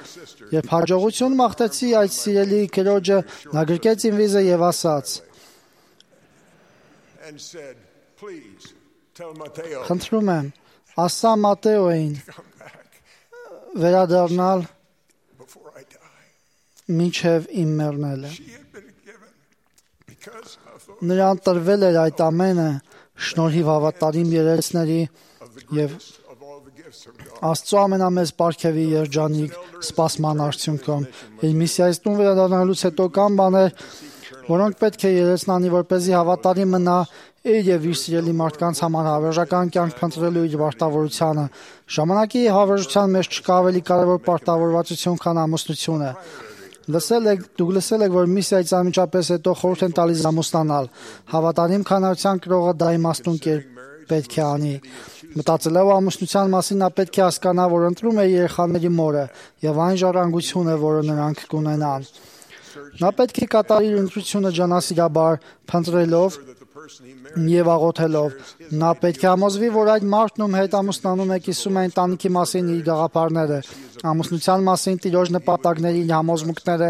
Speaker 2: Երբ հաջողություն մաղթեցի այդ սիրելի քրոջը, նա գրկեց իմ վիզը եւ ասաց. Խնդրում եմ, ասա Մատեոին վերադառնալ մինչև իմ մեռնելը։ Նրան տրվել էր այդ ամենը շնորհիվ հավատարիմ երեցների եւ Աստծո ամենամեծ պարգևի երջանիկ սպասման արդյունքում։ Իր միսիայից տուն վերադառնալուց հետո կան բաներ, որոնք պետք է երեցն անի, որպեսզի հավատարիմ մնա իր եւ իր սիրելի մարդկանց համար հավերժական կյանք փնտրելու իր պարտավորությանը։ Ժամանակի հավերժության մեջ չկա ավելի կարևոր պարտավորվածություն, քան ամուսնությունը։ Լսել եք, դուք լսել եք, որ միսիայից անմիջապես հետո խորհուրդ են տալիս ամուսնանալ։ Հավատարիմ քանարության կրողը դա իմաստուն կերպ պետք է անի։ Մտածելով ամուսնության մասին, նա պետք է հասկանա, որ ընտրում է երեխաների մորը եւ այն ժառանգությունը, որը նրանք կունենան։ Նա պետք է կատարի իր ընտրությունը ջանասիրաբար, փնտրելով եւ աղոթելով։ Նա պետք է համոզվի, որ այդ մարդն ում հետ ամուսնանում է, կիսում է ընտանիքի մասին իր գաղափարները, ամուսնության մասին տիրոջ նպատակների իր համոզմունքները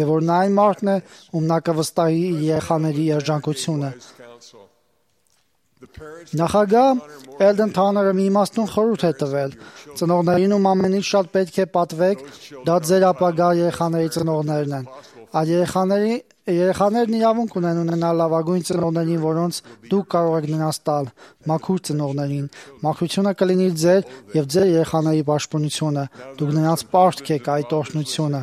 Speaker 2: եւ որ նա այն մարդն է, ում նա կվստահի իր երեխաների երջանկությունը։ Նախագահ Էլդեն Թաները մի իմաստուն խորհուրդ է տվել. ծնողներին ում ամենից շատ պետք է պատվեք, դա ձեր ապագա երեխաների ծնողներն են։ Այդ երեխաների երեխաներն իրավունք ունեն ունենալ լավագույն ծնողներին, որոնց դուք կարող եք նրանց տալ, մաքուր ծնողներին։ Մաքրությունը կլինի ձեր եւ ձեր երեխաների պաշտպանությունը։ Դուք նրանց պարտք եք այդ օրհնությունը։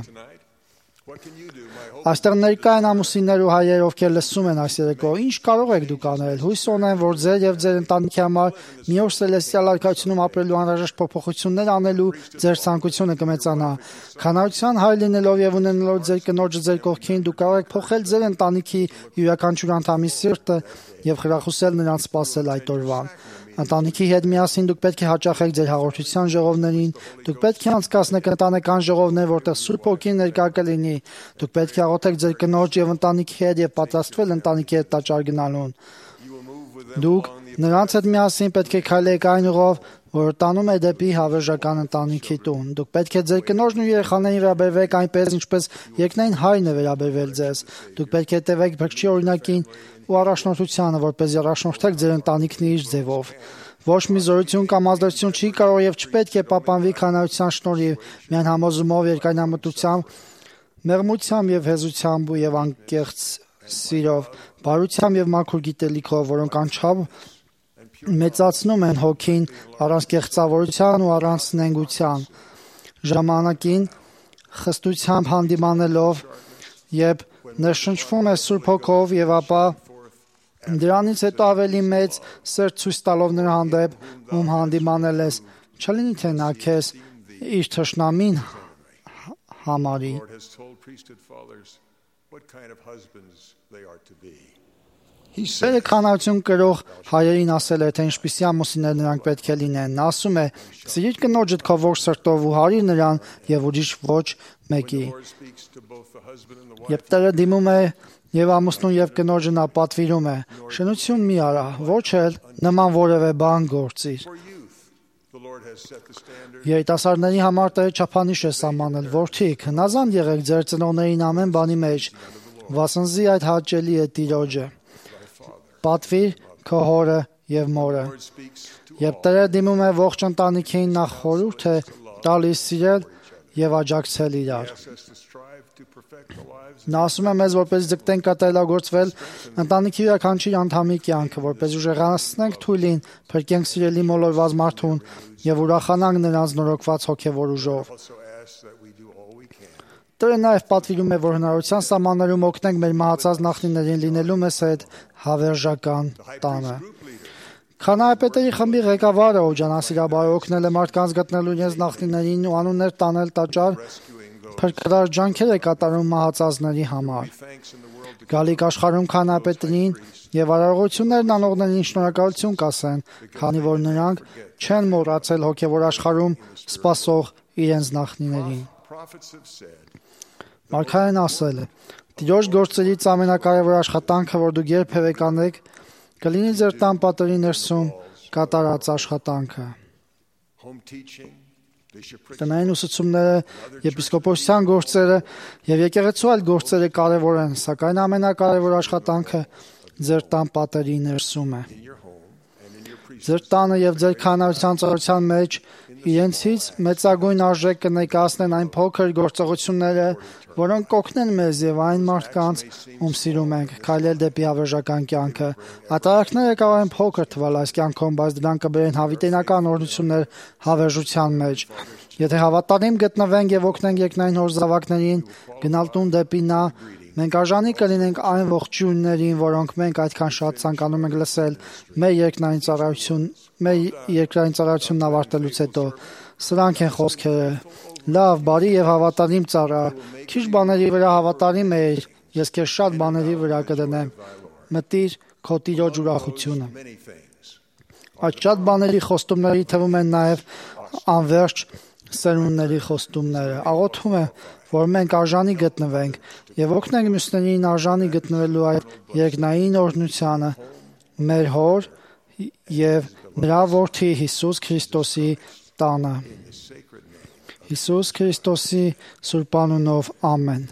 Speaker 2: Այստեղ ներկա են ամուսիններ ու հայեր, ովքեր լսում են այս երեկո։ Ինչ կարող եք դուք անել։ Հույս ունեմ, որ ձեր եւ ձեր ընտանիքի համար մի օր Սելեստիալ արքայությունում ապրելու անհրաժեշտ փոփոխություններ անելու ձեր ցանկությունը կմեծանա։ Քանարության հայր լինելով եւ ունենալով ձեր կնոջը ձեր կողքին, դուք կարող եք փոխել ձեր ընտանիքի յուրաքանչյուր անդամի սիրտը եւ խրախուսել նրանց սпасել այդ օրվան։ Ընտանիքի հետ միասին դուք պետք է հաճախեք ձեր հաղորդության ժողովներին, դուք պետք է անցկացնեք ընտանեկան ժողովներ, որտեղ Սուրբ Հոգին ներկա կլինի, դուք պետք է աղոթեք ձեր կնոջ եւ ընտանիքի հետ եւ պատրաստվել ընտանիքի հետ տաճար գնալուն։ Դուք նրանց հետ միասին պետք է քայլեք այն ուղով, որ տանում է դեպի հավերժական ընտանիքի տուն։ Դուք պետք է ձեր կնոջն ու երեխաներին վերաբերվեք այնպես, ինչպես երկնային հայրն է վերաբերվել ձեզ։ Դուք պետք է տևեք Փրկչի օրինակին ու առաջնորդությանը, որպեսզի առաջնորդեք ձեր ընտանիքն իր ձևով։ Ոչ մի զորություն կամ ազդեցություն չի կարող եւ չպետք է պահպանվի քանարության շնորհիվ, միայն համոզումով, երկայնամտությամբ, մեղմությամբ եւ հեզությամբ եւ անկեղծ սիրով, բարությամբ եւ մաքուր գիտելիքով, որոնք անչափ մեծացնում են հոգին առանց կեղծավորության ու առանց նենգության, ժամանակին խստությամբ հանդիմանելով եւ ներշնչվում է Սուրբ Հոգով եւ ապա դրանից հետո ավելի մեծ սեր ցույց տալով նրա հանդեպ, ում հանդիմանել ես, չլինի թե նա քեզ իր թշնամին համարի։ Սերը քանարություն կրող հայերին ասել է, թե ինչպիսի ամուսիններ նրանք պետք է լինեն։ Նա ասում է. «Սիրիր կնոջդ քո ողջ սրտով ու հարիր նրան եւ ուրիշ ոչ մեկի»։ Երբ Տերը դիմում է եւ ամուսնուն եւ կնոջը նա պատվիրում է. «Շնություն մի արա, ոչ էլ նման որևէ բան գործիր»։ Երիտասարդների համար Տերը չափանիշ է սահմանել. «Որդիք, հնազանդ եղեք ձեր ծնողներին ամեն բանի մեջ, վասնզի այդ հաճելի է Տիրոջը»։ Պատվիր քո հորը եւ մորը։ Երբ Տերը դիմում է ողջ ընտանիքին, նա խորհուրդ է տալիս սիրել եւ աջակցել իրար։ Նա ասում է մեզ, որպես ձգտենք կատարելագործվել ընտանիքի յուրաքանչյուր անդամի կյանքը, որպես ուժեղացնենք թույլին, փրկենք սիրելի մոլորված մարդուն եւ ուրախանանք նրանց նորոգված հոգեվոր ուժով։ Տերը նաև պատվիրում է, որ հնարավորության սահմաններում օգնենք մեր մահացած նախնիներին լինելու մեզ հետ հավերժական տանը։ Քանայապետերի խմբի ղեկավարը օջանասիրաբար օգնել է մարդկանց գտնելու իրենց նախնիներին ու անուններ տանել տաճար, փրկարար ջանքեր է կատարում մահացածների համար։ Գալիք աշխարհում քանայապետերին եւ արարողություններն անողներին շնորհակալություն կասեն, քանի որ նրանք չեն մոռացել հոգեվոր աշխարհում սպասող իրենց նախնիներին։ Մարգարեն ասել է. «Տիրոջ գործերից ամենակարևոր աշխատանքը, որ դուք երբևէ կանեք, կլինի ձեր տան պատերի ներսում կատարած աշխատանքը»։ Տնային ուսուցումները, եպիսկոպոսության գործերը եւ եկեղեցու այլ գործերը կարևոր են, սակայն ամենակարևոր աշխատանքը ձեր տան պատերի ներսում է։ Ձեր տանը եւ ձեր քահանայության ծառայության մեջ իրենցից մեծագույն արժեք կներկայացնեն այն փոքր գործողությունները, որոնք կօգնեն մեզ եւ այն մարդկանց, ում սիրում ենք, քայլել դեպի հավերժական կյանքը։ Ատարակները կարող են փոքր թվալ այս կյանքում, բայց դրանք կբերեն հավիտենական օրհնություններ հավերժության մեջ։ Եթե հավատարիմ գտնվենք եւ օգնենք երկնային հոր զավակներին գնալ տուն դեպի նա, մենք արժանի կլինենք այն ողջույններին, որոնք մենք այդքան շատ ցանկանում ենք լսել մեր երկնային ծառայություն, մեր երկրային ծառայությունն ավարտելուց հետո։ Սրանք են խոսքերը. «Լավ, բարի եւ հավատարիմ ծառա, քիչ բաների վրա հավատարիմ ես, ես քեզ շատ բաների վրա կդնեմ։ Մտիր քո Տիրոջ ուրախությունը»։ Այդ շատ բաների խոստումների թվում են նաեւ անverջ սերունդների խոստումները։ Աղոթում եմ, որ մենք արժանի գտնվենք եւ օգնենք մյուսներին արժանի գտնվելու այդ երկնային օրհնությանը մեր Հոր եւ նրա Որդի Հիսուս Քրիստոսի տանը։ Հիսուս Քրիստոսի սուրբ անունով ամեն։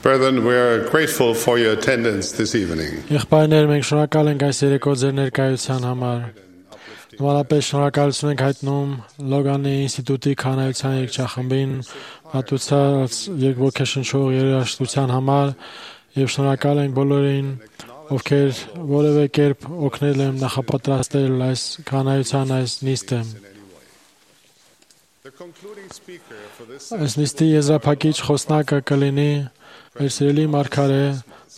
Speaker 3: Brethren, we are grateful for your attendance this evening.
Speaker 4: Եղբայրներ, մենք շնորհակալ ենք այս երեկո ձեր ներկայության համար։ Նորապես շնորհակալություն ենք հայտնում Լոգանի ինստիտուտի քահանայության երգչախմբին մատուցած երկոգեշնչող երաժշտության համար եւ շնորհակալ ենք բոլորին, ովքեր որևէ կերպ օգնել եմ նախապատրաստել այս կանայության այս նիստը։ Այս նիստի եզրափակիչ խոսնակը կլինի մեր սիրելի մարգարե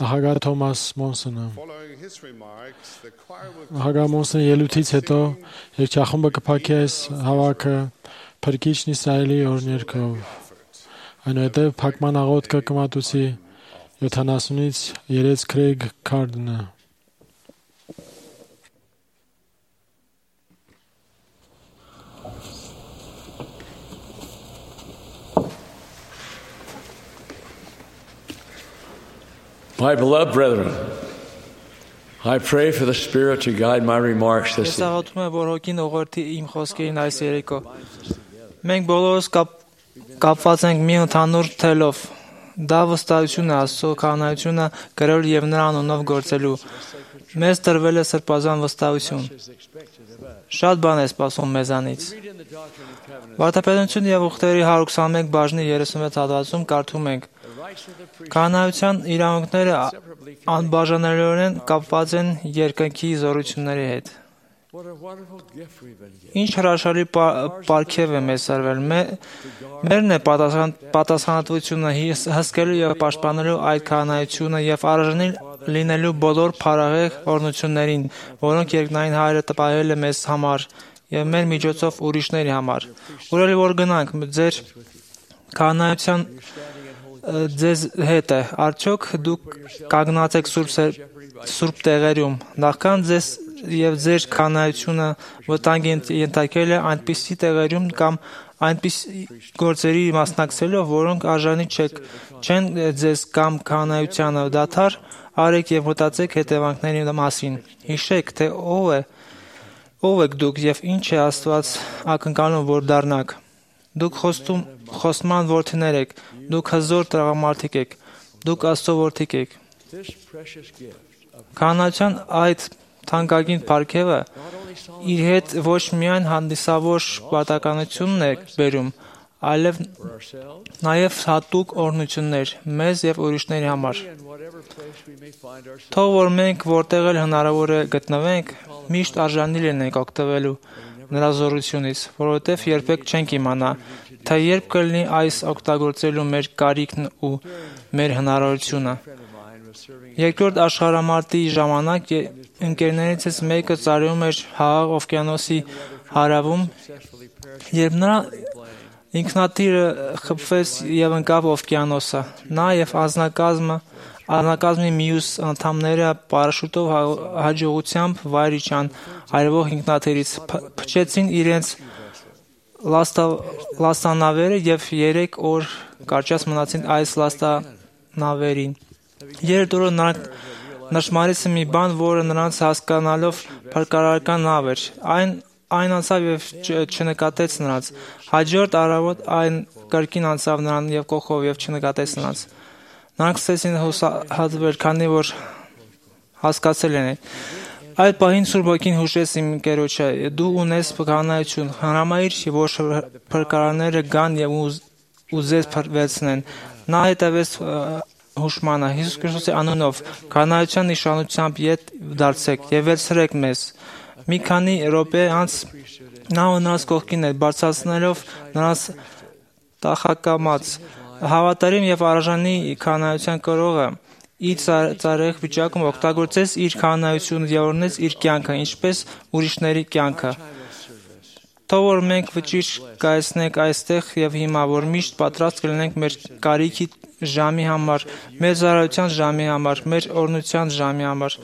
Speaker 4: նախագահ Թոմաս Մոնսոնը։ Նախագահ Մոնսոնի ելույթից հետո երգչախումբը կփակի այս հավաքը Փրկիչն Իսրայելի օրհներգով։ Այնուհետև փակման աղոթքը կմատուցի յոթանասունից երեց Քրեյգ Քարդնը։
Speaker 10: My beloved brethren, I pray for the Spirit to guide my remarks this
Speaker 8: Ես աղոթում եմ, որ հոգին ուղղորդի իմ խոսքերին այս երեկո։ Մենք բոլորս կապ, կապված ենք մի ընդհանուր թելով։ Դա վստահություն է Աստծո կանայությունը գրել եւ նրա անունով գործելու։ Մեզ տրվել է սրբազան վստահություն։ Շատ բան է սպասում մեզանից։ Վարդապետություն եւ ուխտերի հարյուր քսաներեք բաժնի երեսունվեց հատվածում կարդում ենք. Կանայության իրավունքները անբաժանելիորեն կապված են երկնքի զորությունների հետ։ Ինչ հրաշալի պարգև է մեզ սրվել։ Մերն է պատասխանատվությունը հսկելու եւ պաշտպանելու այդ կանայությունը եւ արժանի լինելու բոլոր փառահեղ օրհնություններին, որոնք երկնային Հայրը տպահել է մեզ համար եւ մեր միջոցով ուրիշների համար։ Ուրելի որ գնանք ձեր կանայության ձեզ հետ է, արդյոք դուք կանգնած եք սուրբ սուրբ տեղերում, նախքան ձեզ եւ ձեր կանայությունը վտանգի ենթարկել է այնպիսի տեղերում կամ այնպիսի գործերի մասնակցելով, որոնք արժանի չեն ձեզ կամ կանայությանը, դադար արեք եւ մտածեք հետևանքների մասին։ Հիշեք, թե ով է ով եք դուք եւ ինչ է Աստված ակնկալում, որ դառնաք։ Դուք խոստում խոստման որդիներ եք, դուք հզոր տղամարդիկ եք, դուք Աստծո որդիկ եք։ Կանայության այդ թանկագին պարգևը իր հետ ոչ միայն հանդիսավոր պատականությունն է բերում, այլև նաև հատուկ օրհնություններ մեզ եւ ուրիշների համար։ Թող որ մենք որտեղ էլ հնարավոր է գտնվենք, միշտ արժանի լինենք օգտվելու նրա զորությունից, որովհետև երբեք չենք իմանա, թե երբ կլինի այս օգտագործելու մեր կարիքն ու մեր հնարավորությունը։ Երկրորդ աշխարհամարտի ժամանակ ընկերներիցս մեկը ծառայում էր Հաղ օվկիանոսի հարավում, երբ նրա ինքնաթիռը խփվեց եւ ընկավ օվկիանոսը։ Նա եւ անձնակազմը Անձնակազմի մյուս անդամները պարաշուտով հաջողությամբ վայր իջան այրվող ինքնաթիռից, փչեցին իրենց լաստանավերը եւ երեք օր կարճած մնացին այս լաստանավերին։ Երրորդ օրը նրանք նշմարեցին մի բան, որը նրանց հասկանալով փրկարարական նավ էր։ Այն այն անցավ եւ չնկատեց նրանց։ Հաջորդ առավոտ այն կրկին անցավ նրան եւ կողով եւ չնկատեց նրանց։ Նրանք սկսեցին հուսահատվել, քանի որ հասկացել են։ Այդ պահին Սուրբ Ոգին հուշեց իմ ընկերոջը. դու ունես կանայություն, հնարամայր է, որ փրկարարները գան եւ ուզես փրկվեցնեն։ Նա հետևեց հուշմանը Հիսուս Քրիստոսի անունով, կանայության նշանությամբ ետ դարձեք եւ վերցրեք մեզ։ Մի քանի րոպե անց նա նրանց կողքին էր, բարձրացնելով նրանց տախակամած հավատարիմ եւ արժանի կանայության կրողը իր ծառայող վիճակում օգտագործեց իր կանայությունը եւ օրհնեց իր կյանքը, ինչպես ուրիշների կյանքը։ Թող որ մենք վճիռ կայացնենք այստեղ եւ հիմա, որ միշտ պատրաստ կլինենք մեր կարիքի ժամի համար, մեր ծառայության ժամի համար, մեր օրհնության ժամի համար։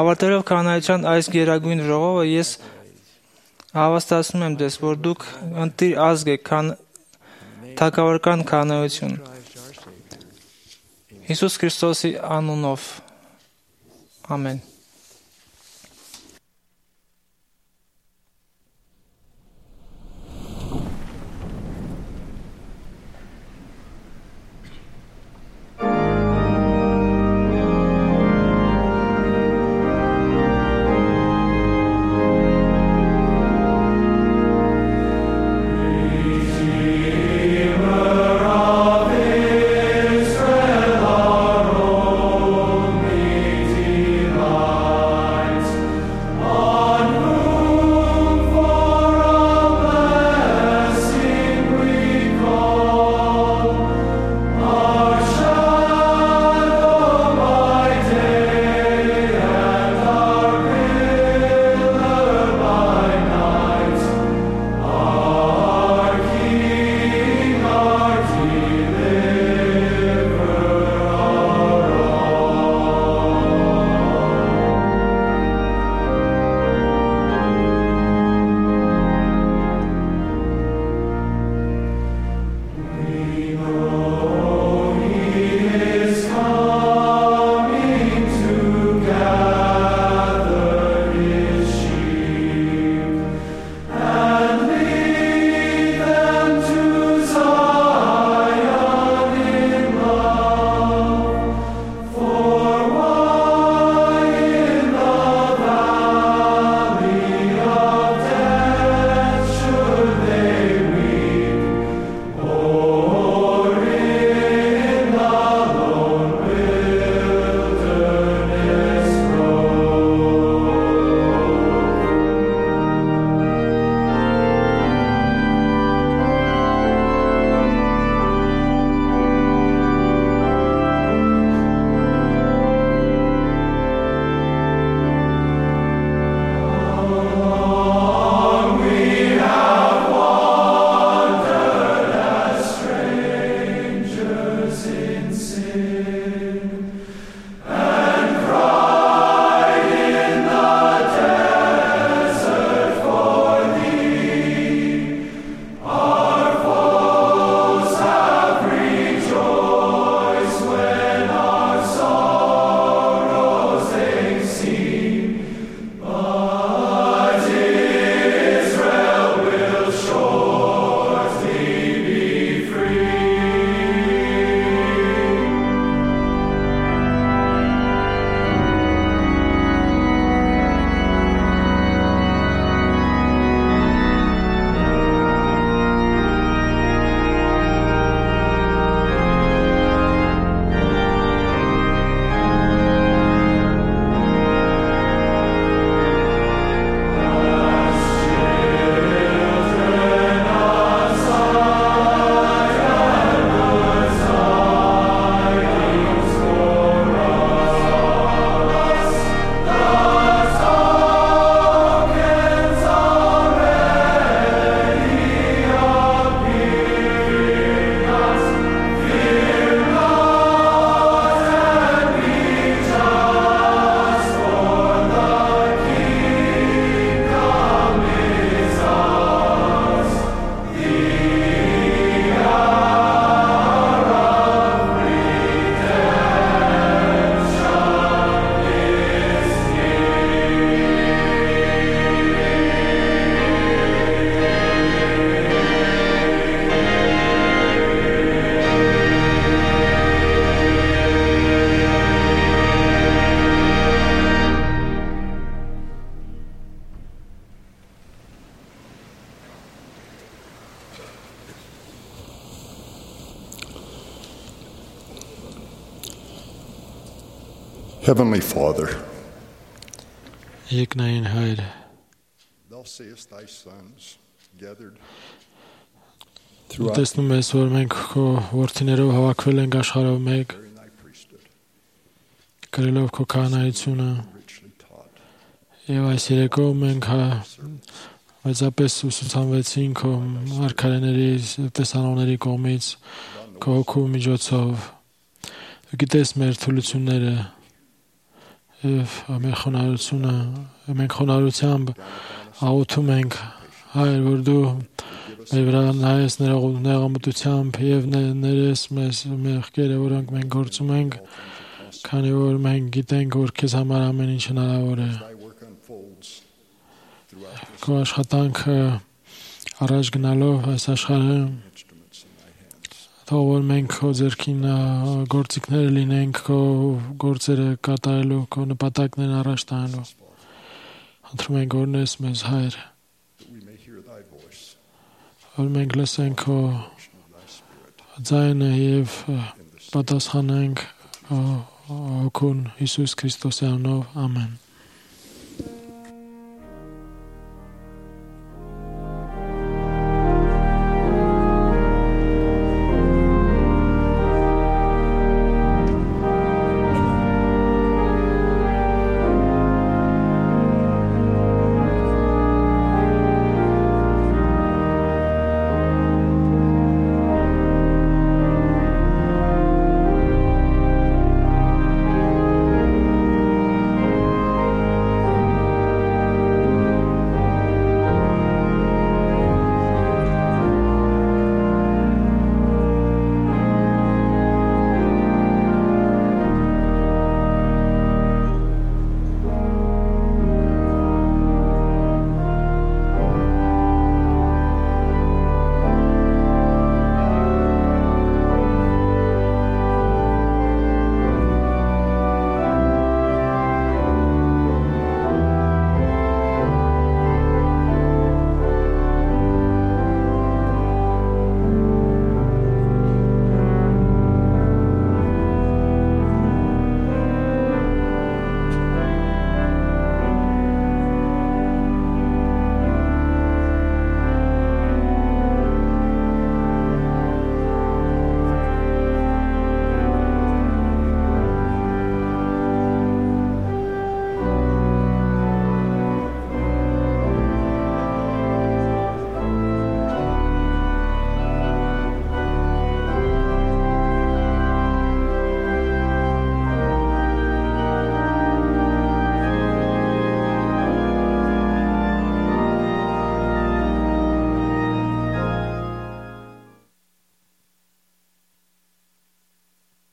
Speaker 8: Ավարտելով կանայության այս գերագույն ժողովը, ես հավաստիացնում եմ դες, որ դուք ընտիր ազգ եք, թագավորական կանայություն։ Հիսուս Քրիստոսի անունով։ Ամեն։
Speaker 11: Redeemer of Israel, our only Heavenly Father,
Speaker 4: Երկնային Հայր,
Speaker 11: thou seest thy sons gathered
Speaker 4: Դու տեսնում ես, որ մենք քո որդիներով հավաքվել ենք աշխարհով մեկ, կրելով քո քահանայությունը, եւ այս երեկո մենք մեծապես ուսուցանվեցին քո մարգարեների, տեսանողների կողմից, քո հոգու միջոցով։ Դու գիտես մեր թուլությունները եւ մեր խոնարհությունը, մենք խոնարհությամբ աղոթում ենք, Հայր, որ դու մեր վրա նայես նեղամտությամբ եւ ներես մեզ մեղքերը, որոնք մենք գործում ենք, քանի որ մենք գիտենք, որ քեզ համար ամեն ինչ հնարավոր է։ Քո աշխատանքը առաջ գնալով այս աշխարհը, թող որ մենք քո ձեռքին գործիքները լինենք, քո գործերը կատարելու, քո նպատակներն առաջ տանելու։ Խնդրում ենք, օրհնես մեզ, Հայր, որ մենք լսենք քո ձայնը եւ պատասխանենք Հոգուն Հիսուս Քրիստոսի անունով, ամեն։